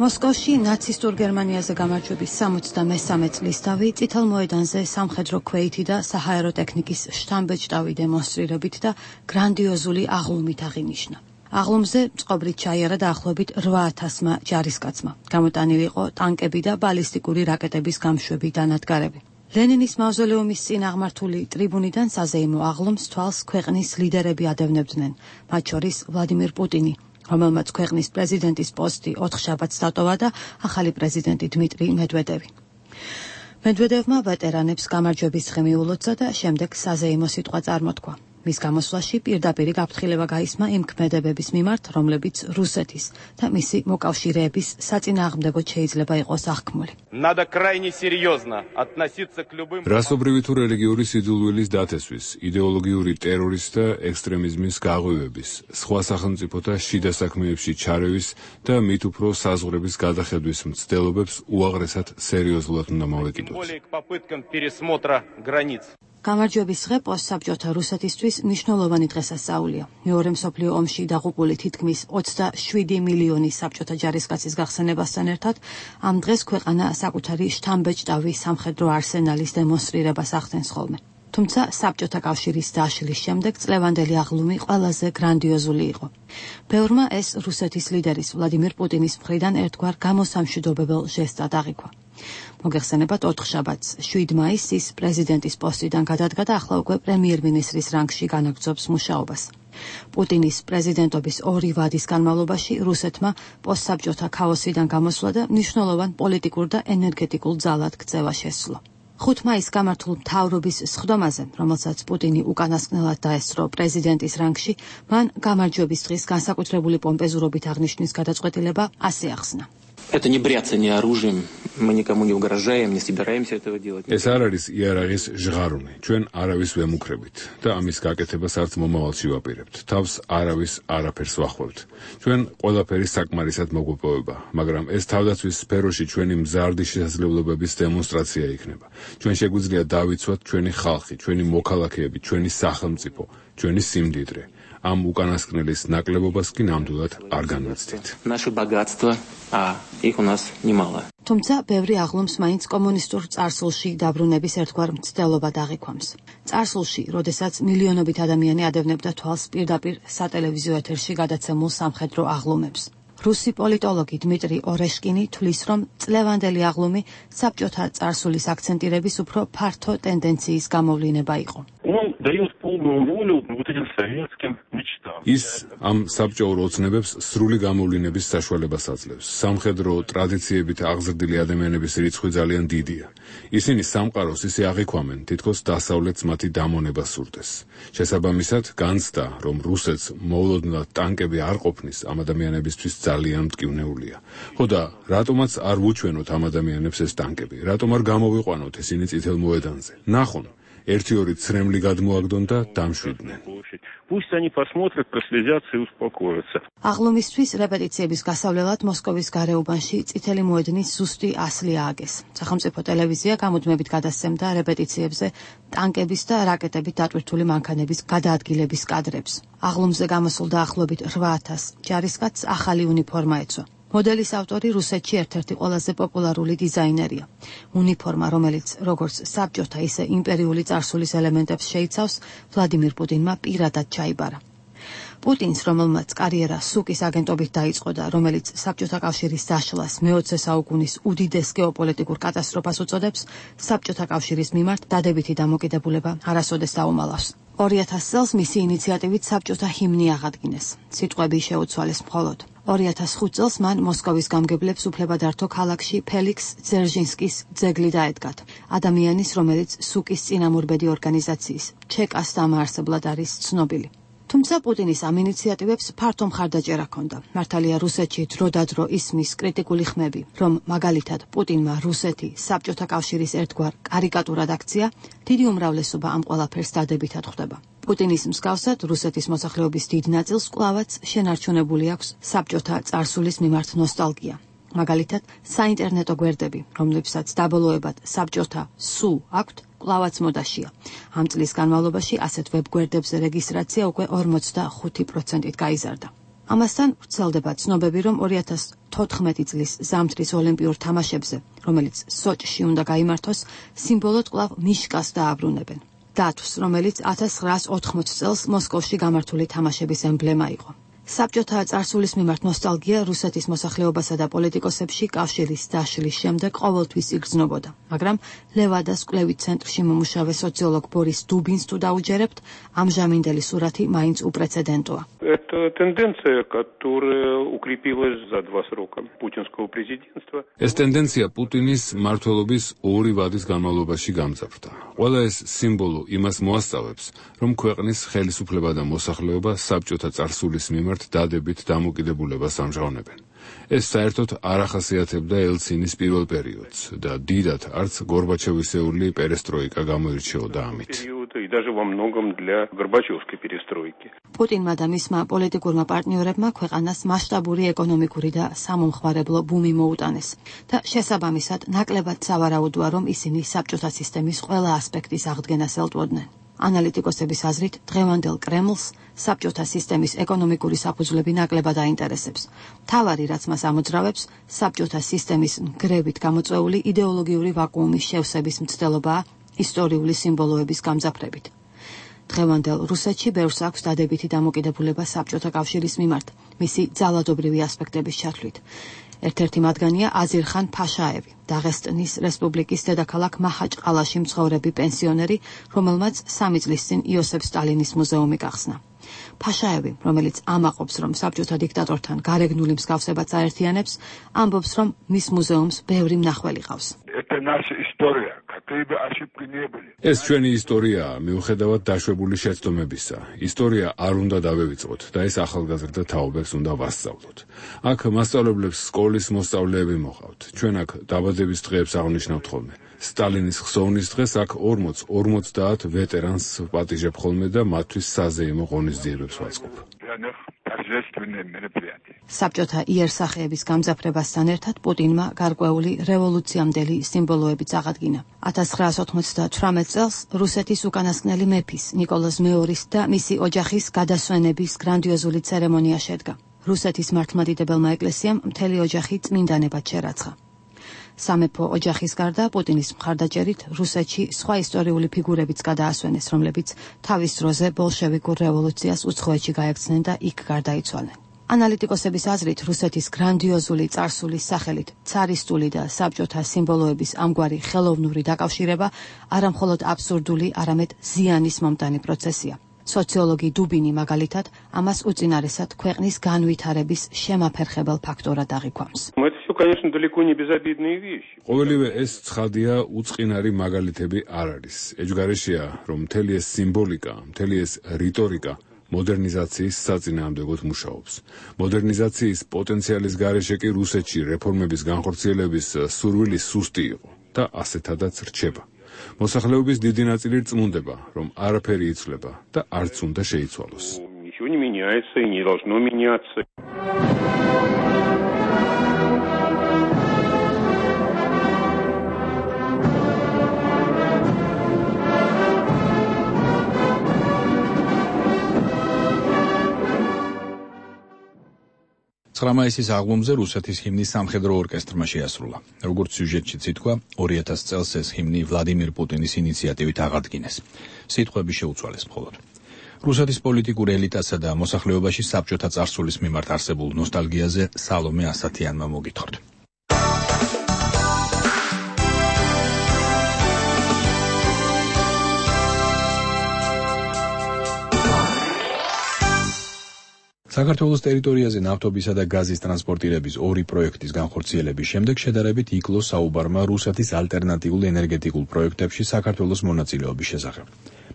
მოსკოვში ნაცისტურ გერმანიაზე გამარჯვების 63 წლისთავი წითელ მოედანზე სამხედრო ქვეითი და საჰაერო ტექნიკის შთამბეჭდავი დემონსტრირებით და გრანდიოზული აღლუმით აღინიშნა. აღლუმზე წყობრით ჩაიარა დაახლოებით 8000-მა ჯარისკაცმა. გამოტანილი იყო ტანკები და ბალისტიკური რაკეტების გამშვები დანადგარები. ლენინის მავზოლეუმის წინ აღმართული ტრიბუნიდან საზეიმო აღლუმს თვალს ქვეყნის ლიდერები ადევნებდნენ, მათ შორის ვლადიმირ პუტინი, რომელმაც ქვეყნის პრეზიდენტის პოსტი 4 შაბათს დატოვა და ახალი პრეზიდენტი დმიტრი მედვედევი. მედვედევმა ვეტერანებს გამარჯვების დღე მიულოცა და შემდეგ საზეიმო სიტყვა წარმოთქვა. მის გამოსვლაში პირდაპირი გაფრთხილება გაისმა იმ ქმედებების მიმართ, რომლებიც რუსეთის და მისი მოკავშირეების საწინააღმდეგოდ შეიძლება იყოს აღქმული. რასობრივი თუ რელიგიური სიძულვილის დათესვის, იდეოლოგიური ტერორის და ექსტრემიზმის გაღვივების, სხვა სახელმწიფოთა შიდა საქმეებში ჩარევის და მით უფრო საზღვრების გადახედვის მცდელობებს უაღრესად სერიოზულად უნდა მოვეკიდოთ. გამარჯვების დღე პოსტსაბჭოთა რუსეთისთვის მნიშვნელოვანი დღესასწაულია. მეორე მსოფლიო ომში დაღუპული თითქმის 27 მილიონი საბჭოთა ჯარისკაცის გახსენებასთან ერთად ამ დღეს ქვეყანა საკუთარი შთამბეჭდავი სამხედრო არსენალის დემონსტრირებას ახდენს ხოლმე. თუმცა საბჭოთა კავშირის დაშლის შემდეგ წლევანდელი აღლუმი ყველაზე გრანდიოზული იყო. ბევრმა ეს რუსეთის ლიდერის ვლადიმირ პუტინის მხრიდან ერთგვარ გამოსამშვიდობებელ ჟესტად აღიქვა. მოგეხსენებათ 4 შაბათს 7 მაისს ის პრეზიდენტის პოსტიდან გადადგა და ახლა უკვე პრემიერ-მინისტრის რანგში განაგრძობს მუშაობას. პუტინის პრეზიდენტობის 2 ვადის განმავლობაში რუსეთმა პოსტსაბჭოთა ქაოსიდან გამოსვლა და მნიშვნელოვან პოლიტიკურ და ენერგეტიკულ ძალად ქცევა შესძლო. 5 მაისს გამართულ მთავრობის სხდომაზე, რომელსაც პუტინი უკანასკნელად დაესწრო პრეზიდენტის რანგში, მან გამარჯვების დღის განსაკუთრებული პომპეზურობით აღნიშნის გადაწყვეტილება ასე ახსნა. Это не бряцание оружием, мы никому не угрожаем, не собираемся этого делать. ეს არ არის იარაღის ჟღარუნი, ჩვენ არავის ვემუქრებით და ამის გაკეთებას არც მომავალში ვაპირებთ. თავს არავის არაფერს ვახვევთ. ჩვენ ყველაფერი საკმარისად მოგვეპოვება, მაგრამ ეს თავდაცვის სფეროში ჩვენი მზარდი შესაძლებლობების დემონსტრაცია იქნება. ჩვენ შეგვიძლია დავიცვათ ჩვენი ხალხი, ჩვენი მოქალაქეები, ჩვენი სახელმწიფო, ჩვენი სიმდიდრე. ამ უკანასკნელის ნაკლებობას კი ნამდვილად არ განვაცდით. Наше богатство, а их у нас немало. თუმცა ბევრი აღლუმს მაინც კომუნისტურ წარსულში დაბრუნების ერთგვარ მცდელობა აღიქვამს. წარსულში, როდესაც მილიონობით ადამიანი ადევნებდა თვალს პირდაპირ სატელევიზიო ეთერში გადაცემულ სამხედრო აღლუმებს. რუსი პოლიტოლოგი დმიტრი ორეშკინი თვლის, რომ წლევანდელი აღლუმი საბჭოთა წარსულის აქცენტირების უფრო ფართო ტენდენციის გამოვლინება იყო. дает полную волю вот этим советским мечтам. ის ამ საბჭოურ ოცნებებს სრული გამოვლინების საშუალებას აძლევს. სამხედრო ტრადიციებით აღზრდილი ადამიანების რიცხვი ძალიან დიდია. ისინი სამყაროს ისე აღიქვამენ, თითქოს დასავლეთს მათი დამონება სურდეს. შესაბამისად, განცდა, რომ რუსეთს მოულოდნელად ტანკები არ ყოფნის, ამ ადამიანებისთვის ძალიან მტკივნეულია. ხო და რატომაც არ ვუჩვენოთ ამ ადამიანებს ეს ტანკები? რატომ არ გამოვიყვანოთ ისინი წითელ მოედანზე? ნახონ, ერთი-ორი ცრემლი გადმოაგდონ და დამშვიდნენ. Пусть они посмотрят, прослезятся и успокоятся. აღლუმისთვის რეპეტიციების გასავლელად მოსკოვის გარეუბანში წითელი მოედნის ზუსტი ასლი ააგეს. სახელმწიფო ტელევიზია გამუდმებით გადასცემდა რეპეტიციებზე ტანკების და რაკეტებით დატვირთული მანქანების გადაადგილების კადრებს. აღლუმზე გამოსულ დაახლოებით 8000 ჯარისკაცს ახალი უნიფორმა ეცვა. მოდელის ავტორი რუსეთში ერთ-ერთი ყველაზე პოპულარული დიზაინერია. უნიფორმა, რომელიც როგორც საბჭოთა, ისე იმპერიული წარსულის ელემენტებს შეიცავს, ვლადიმირ პუტინმა პირადად ჩაიბარა. პუტინს, რომელმაც კარიერა სუკის აგენტობით დაიწყო და რომელიც საბჭოთა კავშირის დაშლას მე-20 საუკუნის უდიდეს გეოპოლიტიკურ კატასტროფას უწოდებს, საბჭოთა კავშირის მიმართ დადებითი დამოკიდებულება არასოდეს დაუმალავს. 2000 წელს მისი ინიციატივით საბჭოთა ჰიმნი აღადგინეს. სიტყვები შეუცვალეს მხოლოდ. 2005 წელს მან მოსკოვის გამგებლებს უფლება დართო ქალაქში ფელიქს ძერჟინსკის ძეგლი დაედგათ. ადამიანის, რომელიც სუკის წინამორბედი ორგანიზაციის ჩეკას დამაარსებლად არის ცნობილი. თუმცა პუტინის ამ ინიციატივებს ფართო მხარდაჭერა ჰქონდა. მართალია რუსეთში დროდადრო ისმის კრიტიკული ხმები, რომ მაგალითად პუტინმა რუსეთი საბჭოთა კავშირის ერთგვარ კარიკატურად აქცია, დიდი უმრავლესობა ამ ყველაფერს დადებითად ხვდება. პუტინის მსგავსად რუსეთის მოსახლეობის დიდ ნაწილს კვლავაც შენარჩუნებული აქვს საბჭოთა წარსულის მიმართ ნოსტალგია. მაგალითად, საინტერნეტო გვერდები, რომლებსაც დაბოლოებად საბჭოთა სუ აქვთ, კვლავაც მოდაშია. ამ წლის განმავლობაში ასეთ ვებგვერდებზე რეგისტრაცია უკვე 45%-ით გაიზარდა. ამასთან ვრცელდება ცნობები, რომ 2014 წლის ზამთრის ოლიმპიურ თამაშებზე, რომელიც სოჭში უნდა გაიმართოს, სიმბოლოდ კვლავ მიშკას დააბრუნებენ. დათვს, რომელიც 1980 წელს მოსკოვში გამართული თამაშების ემბლემა იყო. საბჭოთა წარსულის მიმართ ნოსტალგია რუსეთის მოსახლეობასა და პოლიტიკოსებში კავშირის დაშლის შემდეგ ყოველთვის იგრძნობოდა. მაგრამ ლევადას კვლევით ცენტრში მომუშავე სოციოლოგ ბორის დუბინს თუ დაუჯერებთ, ამჟამინდელი სურათი მაინც უპრეცედენტოა. Это тенденция, которая укрепилась за 2 срока путинского президентства. ეს ტენდენცია პუტინის მმართველობის 2 ვადის განმავლობაში გამძაფრდა. ყველა ეს სიმბოლო იმას მოასწავებს, რომ ქვეყნის ხელისუფლება და მოსახლეობა საბჭოთა წარსულის მიმართ დადებით დამოკიდებულებას ამჟღავნებენ. ეს საერთოდ არ ახასიათებდა ელცინის პირველ პერიოდს და დიდად არც გორბაჩევისეული პერესტროიკა გამოირჩეოდა ამით. И даже во многом для горбачевской перестройки. პუტინმა და მისმა პოლიტიკურმა პარტნიორებმა ქვეყანას მასშტაბური ეკონომიკური და სამომხმარებლო ბუმი მოუტანეს და შესაბამისად ნაკლებად სავარაუდოა, რომ ისინი საბჭოთა სისტემის ყველა ასპექტის აღდგენას ელტვოდნენ. ანალიტიკოსების აზრით, დღევანდელ კრემლს საბჭოთა სისტემის ეკონომიკური საფუძვლები ნაკლებად აინტერესებს. თავარი, რაც მას ამოძრავებს, საბჭოთა სისტემის მგრევით გამოწვეული იდეოლოგიური ვაკუუმის შევსების მცდელობაა ისტორიული სიმბოლოების გამძაფრებით. დღევანდელ რუსეთში ბევრს აქვს დადებითი დამოკიდებულება საბჭოთა კავშირის მიმართ, მისი ძალადობრივი ასპექტების ჩათვლით. ერთ-ერთი მათგანია აზირხან ფაშაევი, დაღესტნის რესპუბლიკის დედაქალაქ მაჰაჭყალაში მცხოვრები პენსიონერი, რომელმაც 3 წლის წინ იოსებ სტალინის მუზეუმი გახსნა. ფაშაევი, რომელიც ამაყობს, რომ საბჭოთა დიქტატორთან გარეგნული მსგავსებაც აერთიანებს, ამბობს, რომ მის მუზეუმს ბევრი მნახველი ყავს. ეს ჩვენი ისტორიაა, მიუხედავად დაშვებული შეცდომებისა. ისტორია არ უნდა დავევიწყოთ და ეს ახალგაზრდა თაობებს უნდა ვასწავლოთ. აქ მასწავლებლებს სკოლის მოსწავლეები მოყავთ. ჩვენ აქ დაბადების დღეებს აღნიშნავთ ხოლმე. სტალინის ხსოვნის დღეს აქ 40 ვეტერანს პატიჟებ ხოლმე და მათთვის საზეიმო ღონისძიებებს ვაწყობ. საბჭოთა იერსახეების გამძაფრებასთან ერთად პუტინმა გარკვეული რევოლუციამდელი სიმბოლოებიც აღადგინა. 1998 წელს რუსეთის უკანასკნელი მეფის ნიკოლოზ მეორის და მისი ოჯახის გადასვენების გრანდიოზული ცერემონია შედგა. რუსეთის მართლმადიდებელმა ეკლესიამ მთელი ოჯახი წმინდანებად შერაცხა. სამეფო ოჯახის გარდა პუტინის მხარდაჭერით რუსეთში სხვა ისტორიული ფიგურებიც გადაასვენეს, რომლებიც თავის დროზე ბოლშევიკურ რევოლუციას უცხოეთში გაექცნენ და იქ გარდაიცვალნენ. ანალიტიკოსების აზრით, რუსეთის გრანდიოზული წარსულის სახელით ცარისტული და საბჭოთა სიმბოლოების ამგვარი ხელოვნური დაკავშირება არა მხოლოდ აბსურდული, არამედ ზიანის მომტანი პროცესია. სოციოლოგი დუბინი მაგალითად ამას უწინარესად ქვეყნის განვითარების შემაფერხებელ ფაქტორად აღიქვამს. ყოველივე ეს ცხადია, უწყინარი მაგალითები არ არის. ეჯგარეშეა, რომ მთელი ეს სიმბოლიკა, მთელი ეს რიტორიკა მოდერნიზაციის საწინააღმდეგოდ მუშაობს. მოდერნიზაციის პოტენციალის გარეშე კი რუსეთში რეფორმების განხორციელების სურვილი სუსტი იყო და ასეთადაც რჩება. მოსახლეობის დიდი ნაწილი რწმუნდება, რომ არაფერი იცვლება და არც უნდა შეიცვალოს. ცხრამაისის აღლუმზე რუსეთის ჰიმნი სამხედრო ორკესტრმა შეასრულა. როგორც სიუჟეტშიც ითქვა, 2000 წელს ეს ჰიმნი ვლადიმირ პუტინის ინიციატივით აღადგინეს. სიტყვები შეუცვალეს მხოლოდ. რუსეთის პოლიტიკურ ელიტასა და მოსახლეობაში საბჭოთა წარსულის მიმართ არსებულ ნოსტალგიაზე სალომე ასათიანმა მოგითხრთ. საქართველოს ტერიტორიაზე ნავთობისა და გაზის ტრანსპორტირების ორი პროექტის განხორციელების შემდეგ შედარებით იკლო საუბარმა რუსეთის ალტერნატიულ ენერგეტიკულ პროექტებში საქართველოს მონაწილეობის შესახებ.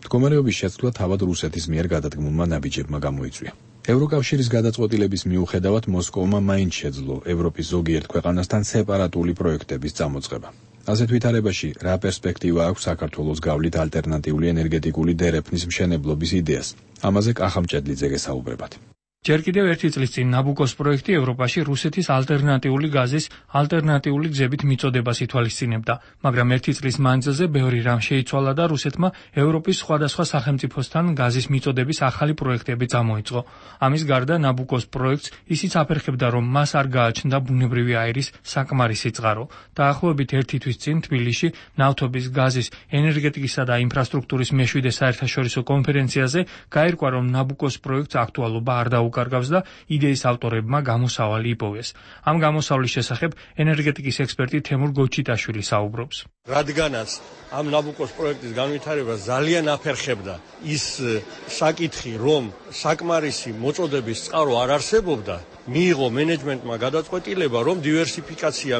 მდგომარეობის შეცვლა თავად რუსეთის მიერ გადადგმულმა ნაბიჯებმა გამოიწვია. ევროკავშირის გადაწყვეტილების მიუხედავად მოსკოვმა მაინც შეძლო ევროპის ზოგიერთ ქვეყანასთან სეპარატული პროექტების წამოწყება. ასეთ ვითარებაში რა პერსპექტივა აქვს საქართველოს გავლით ალტერნატიული ენერგეტიკული დერეფნის მშენებლობის იდეას? ამაზე კახამჭედლიძე გესაუბრებათ. ჯერ კიდევ ერთი წლის წინ ნაბუკოს პროექტი ევროპაში რუსეთის ალტერნატიული გაზის ალტერნატიული გზებით მიწოდებას ითვალისწინებდა, მაგრამ ერთი წლის მანძილზე ბევრი რამ შეიცვალა და რუსეთმა ევროპის სხვადასხვა სახელმწიფოსთან გაზის მიწოდების ახალი პროექტები წამოიწყო. ამის გარდა ნაბუკოს პროექტს ისიც აფერხებდა, რომ მას არ გააჩნდა ბუნებრივი აირის საკმარისი წყარო. დაახლოებით ერთი თვის წინ თბილისში ნავთობის, გაზის, ენერგეტიკისა და ინფრასტრუქტურის მეშვიდე საერთაშორისო კონფერენციაზე გაირკვა, რომ ნაბუკოს პროექტს აქტუალობა არ დაუკარგავს და იდეის ავტორებმა გამოსავალი იპოვეს. ამ გამოსავლის შესახებ ენერგეტიკის ექსპერტი თემურ გოჩიტაშვილი საუბრობს. რადგანაც ამ ნაბუკოს პროექტის განვითარება ძალიან აფერხებდა ის საკითხი, რომ საკმარისი მოწოდების წყარო არ არსებობდა, მიიღო მენეჯმენტმა გადაწყვეტილება, რომ დივერსიფიკაცია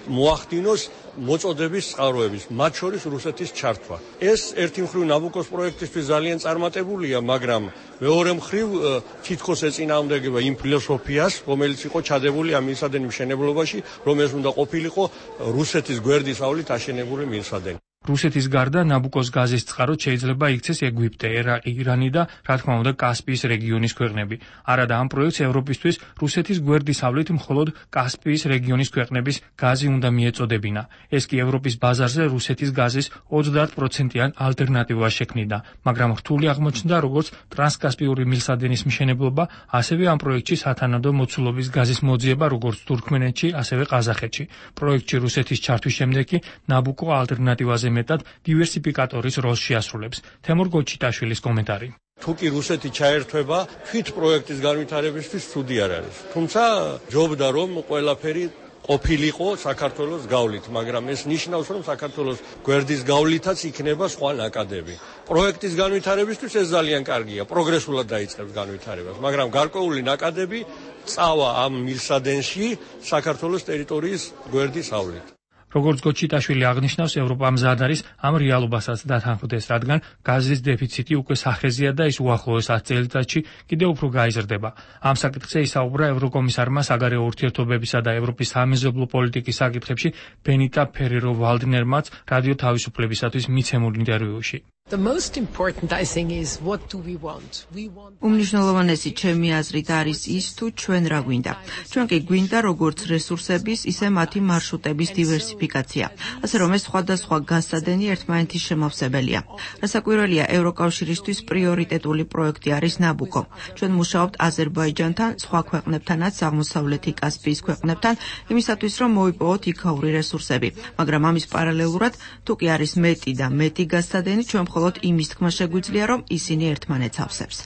მოახდინოს მოწოდების წყაროების, მათ შორის რუსეთის ჩართვა. ეს ერთი მხრივ ნაბუკოს პროექტისთვის ძალიან წარმატებულია, მაგრამ მეორე მხრივ თითქოს ეწინააღმდეგება იმ ფილოსოფიას, რომელიც იყო ჩადებული ამ მილსადენის მშენებლობაში, რომ ეს უნდა ყოფილიყო რუსეთის გვერდის ავლით აშენებული მილსადენი. რუსეთის გარდა ნაბუკოს გაზის წყაროთ შეიძლება იქცეს ეგვიპტე, ერაყი, ირანი და რა თქმა უნდა კასპიის რეგიონის ქვეყნები. არადა ამ პროექტს ევროპისთვის რუსეთის გვერდის ავლით მხოლოდ კასპიის რეგიონის ქვეყნების გაზი უნდა მიეწოდებინა. ეს კი ევროპის ბაზარზე რუსეთის გაზის 30%-იან ალტერნატივას შექმნიდა, მაგრამ რთული აღმოჩნდა როგორც ტრანსკასპიური მილსადენის მშენებლობა, ასევე ამ პროექტში სათანადო მოცულობის გაზის მოძიება როგორც თურქმენეთში, ასევე ყაზახეთში. პროექტში რუსეთის ჩართვის შემდეგ კი ნაბუკო ალტერნატივაზე მეტად დივერსიფიკატორის როლს შეასრულებს. თემურ გოჩიტაშვილის კომენტარი. თუ კი რუსეთი ჩაერთვება, თვით პროექტის განვითარებისთვის ცუდი არ არის. თუმცა ჯობდა რომ ყველაფერი ყოფილიყო საქართველოს გავლით, მაგრამ ეს ნიშნავს, რომ საქართველოს გვერდის გავლითაც იქნება სხვა ნაკადები. პროექტის განვითარებისთვის ეს ძალიან კარგია, პროგრესულად დაიწყებს განვითარებას, მაგრამ გარკვეული ნაკადები წავა ამ მილსადენში საქართველოს ტერიტორიის გვერდის ავლით. როგორც გოჩიტაშვილი აღნიშნავს, ევროპა მზად არის ამ რეალობასაც დათანხმდეს, რადგან გაზის დეფიციტი უკვე სახეზეა და ის უახლოეს 10 წელიწადში კიდევ უფრო გაიზრდება. ამ საკითხზე ისაუბრა ევროკომისარმა საგარეო ურთიერთობებისა და ევროპის სამეზობლო პოლიტიკის საკითხებში ბენიტა ფერერო-ვალდნერმაც რადიო თავისუფლებისათვის მიცემულ ინტერვიუში. უმნიშვნელოვანესი ჩემი აზრით არის ის, თუ ჩვენ რა გვინდა. ჩვენ კი გვინდა როგორც რესურსების, ისე მათი მარშრუტების დივერსიფიკაცია, ასე რომ ეს სხვადასხვა გაზსადენი ერთმანეთის შემავსებელია. რასაკვირველია, ევროკავშირისთვის პრიორიტეტული პროექტი არის ნაბუკო. ჩვენ მუშაობთ აზერბაიჯანთან, სხვა ქვეყნებთანაც, აღმოსავლეთი კასპიის ქვეყნებთან, იმისათვის, რომ მოიპოვოთ იქაური რესურსები. მაგრამ ამის პარალელურად, თუ კი არის მეტი და მეტი გაზსადენი, ჩვენ მხოლოდ იმის თქმა შეგვიძლია, რომ ისინი ერთმანეთს ავსებს.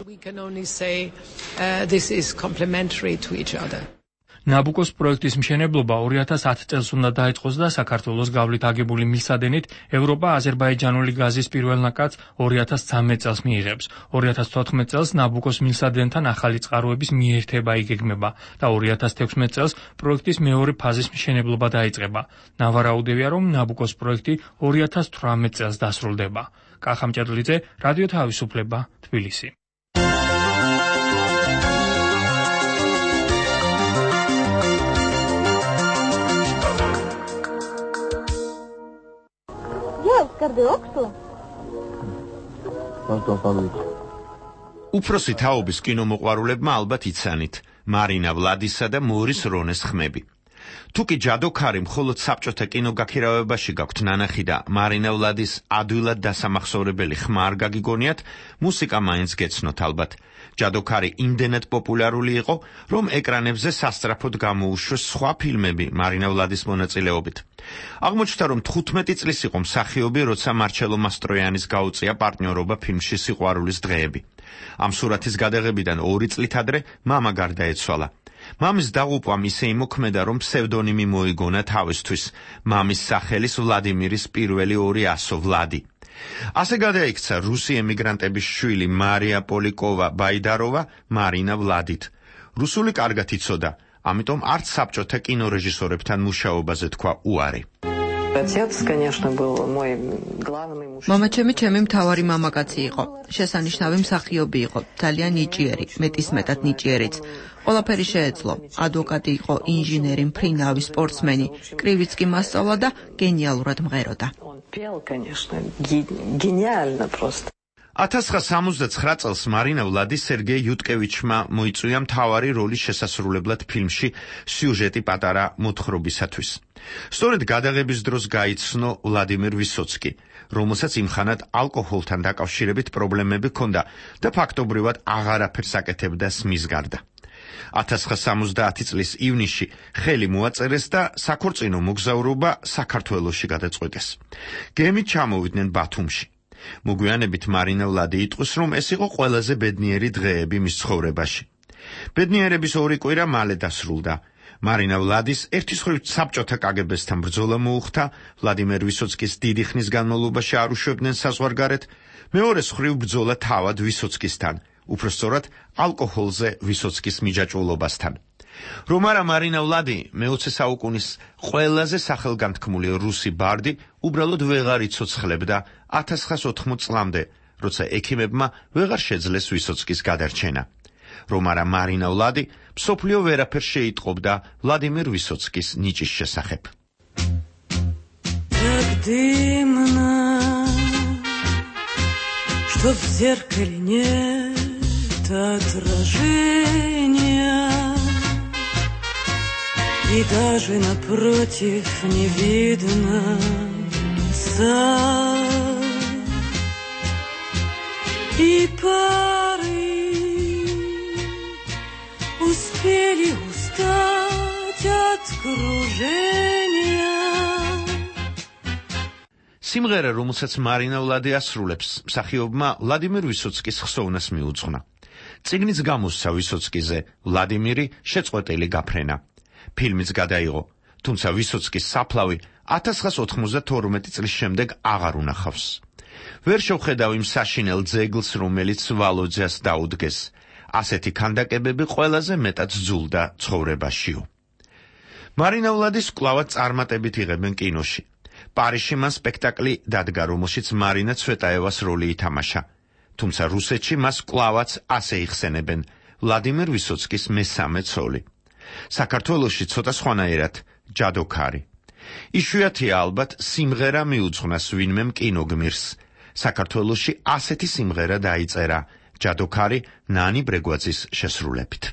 ნაბუკოს პროექტის მშენებლობა 2010 წელს უნდა დაიწყოს და საქართველოს გავლით აგებული მილსადენით ევროპა აზერბაიჯანული გაზის პირველ ნაკადს 2013 წელს მიიღებს. 2014 წელს ნაბუკოს მილსადენთან ახალი წყაროების მიერთება იგეგმება და 2016 წელს პროექტის მეორე ფაზის მშენებლობა დაიწყება. ნავარაუდევია, რომ ნაბუკოს პროექტი 2018 წელს დასრულდება. კახა მჭედლიძე, რადიო თავისუფლება, თბილისი. უფროსი თაობის კინომოყვარულებმა ალბათ იცანით მარინა ვლადისა და მორის რონეს ხმები. თუკი ჯადოქარი მხოლოდ საბჭოთა კინოგაქირავებაში გაქვთ ნანახი და მარინა ვლადის ადვილად დასამახსოვრებელი ხმა არ გაგიგონიათ, მუსიკა მაინც გეცნოთ ალბათ. ჯადოქარი იმდენად პოპულარული იყო, რომ ეკრანებზე სასწრაფოდ გამოუშვეს სხვა ფილმები მარინა ვლადის მონაწილეობით. აღმოჩნდა, რომ 15 წლის იყო მსახიობი, როცა მარჩელო მასტროიანის გაუწია პარტნიორობა ფილმში სიყვარულის დღეები. ამ სურათის გადაღებიდან 2 წლით ადრე მამა გარდაეცვალა. მამის დაღუპვამ ისე იმოქმედა, რომ ფსევდონიმი მოიგონა თავისთვის. მამის სახელის ვლადიმირის პირველი 2 ასო ვლადი. ასე გადაიქცა რუსი ემიგრანტების შვილი მარია პოლიკოვა ბაიდაროვა მარინა ვლადით. რუსული კარგად იცოდა, ამიტომ არც საბჭოთა კინორეჟისორებთან მუშაობაზე თქვა უარი. მამაჩემი ჩემი მთავარი მამაკაცი იყო. შესანიშნავი მსახიობი იყო, ძალიან ნიჭიერი, მეტისმეტად ნიჭიერიც. ყველაფერი შეეძლო. ადვოკატი იყო, ინჟინერი, მფრინავი, სპორტსმენი, კრივიც კი მასწავლა და გენიალურად მღეროდა. 1979 წელს მარინა ვლადი სერგეი იუტკევიჩმა მოიწვია მთავარი როლის შესასრულებლად ფილმში სიუჟეტი პატარა მოთხრობისათვის. სწორედ გადაღების დროს გაიცნო ვლადიმერ ვისოცკი, რომელსაც იმხანად ალკოჰოლთან დაკავშირებით პრობლემები ჰქონდა და ფაქტობრივად აღარაფერს აკეთებდა სმის გარდა. 1970 წლის ივნისში ხელი მოაწერეს და საქორწინო მოგზაურობა საქართველოში გადაწყვეტეს. გემით ჩამოვიდნენ ბათუმში. მოგვიანებით მარინა ვლადი იტყვის, რომ ეს იყო ყველაზე ბედნიერი დღეები მის ცხოვრებაში. ბედნიერების 2 კვირა მალე დასრულდა. მარინა ვლადის ერთის მხრივ საბჭოთა კგბ-სთან ბრძოლა მოუხდა, ვლადიმერ ვისოცკის დიდი ხნის განმავლობაში არ უშვებდნენ საზღვარგარეთ, მეორეს მხრივ ბრძოლა თავად ვისოცკისთან, უпростоრად ალკოჰოლზე ვისოცკის მიჯაჭვულობასთან. რომ არა მარინა ვლადი მე-20 საუკუნის ყველაზე სახელგანთქმული რუსი ბარდი უბრალოდ ვეღარ იცოცხლებდა 1980 წლამდე, როცა ექიმებმა ვეღარ შეძლეს ვისოცკის გადარჩენა. რომ არა მარინა ვლადი მსოფლიო ვერაფერს შეიტყობდა ვლადიმერ ვისოცკის ნიჭის შესახებ. Что в зеркале нет отражения, и даже напротив не видно лица, и пары успели устать от кружения. სიმღერა, რომელსაც მარინა ვლადი ასრულებს, მსახიობმა ვლადიმერ ვისოცკის ხსოვნას მიუძღვნა. წიგნიც გამოსცა ვისოცკიზე ვლადიმირი შეწყვეტილი გაფრენა. ფილმიც გადაიღო, თუმცა ვისოცკის საფლავი 1992 წლის შემდეგ აღარ უნახავს. ვერ შევხედავ იმ საშინელ ძეგლს, რომელიც ვალოძიას დაუდგეს. ასეთი ქანდაკებები ყველაზე მეტად ძულდა ცხოვრებაშიო. მარინა ვლადის კვლავად წარმატებით იღებენ კინოში. პარიზში მას სპექტაკლი დადგა, რომელშიც მარინა ცვეტაევას როლი ითამაშა. თუმცა რუსეთში მას კვლავაც ასე იხსენებენ, ვლადიმერ ვისოცკის მესამე ცოლი. საქართველოში ცოტა სხვანაირად, ჯადოქარი. იშვიათია ალბათ სიმღერა მიუძღვნას ვინმემ კინოგმირს. საქართველოში ასეთი სიმღერა დაიწერა, ჯადოქარი ნანი ბრეგვაძის შესრულებით.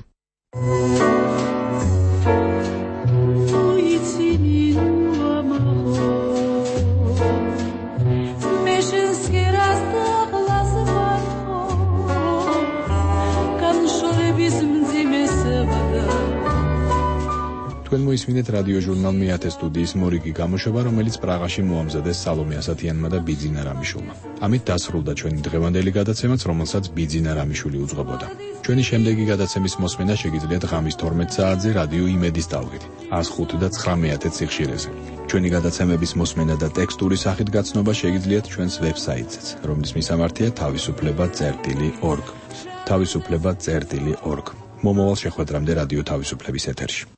თქვენ მოისმინეთ მოვისმინეთ რადიო ჟურნალ მეათე სტუდიის მორიგი გამოშვება, რომელიც პრაღაში მოამზადეს სალომე ასათიანმა და ბიძინა რამიშულმა. ამით დასრულდა ჩვენი დღევანდელი გადაცემაც, რომელსაც ბიძინა რამიშვილი უძღვებოდა. ჩვენი შემდეგი გადაცემის მოსმენა შეგიძლიათ ღამის 12 საათზე რადიო იმედის ტალღით 105 და 9 სიხშირეზე. ჩვენი გადაცემების მოსმენა და ტექსტური სახით გაცნობა შეგიძლიათ ჩვენს ვებსაიტზეც, რომლის მისამართია თავისუფლება.org. თავისუფლება.org. მომავალ შეხვედრამდე რადიო თავისუფლების ეთერში.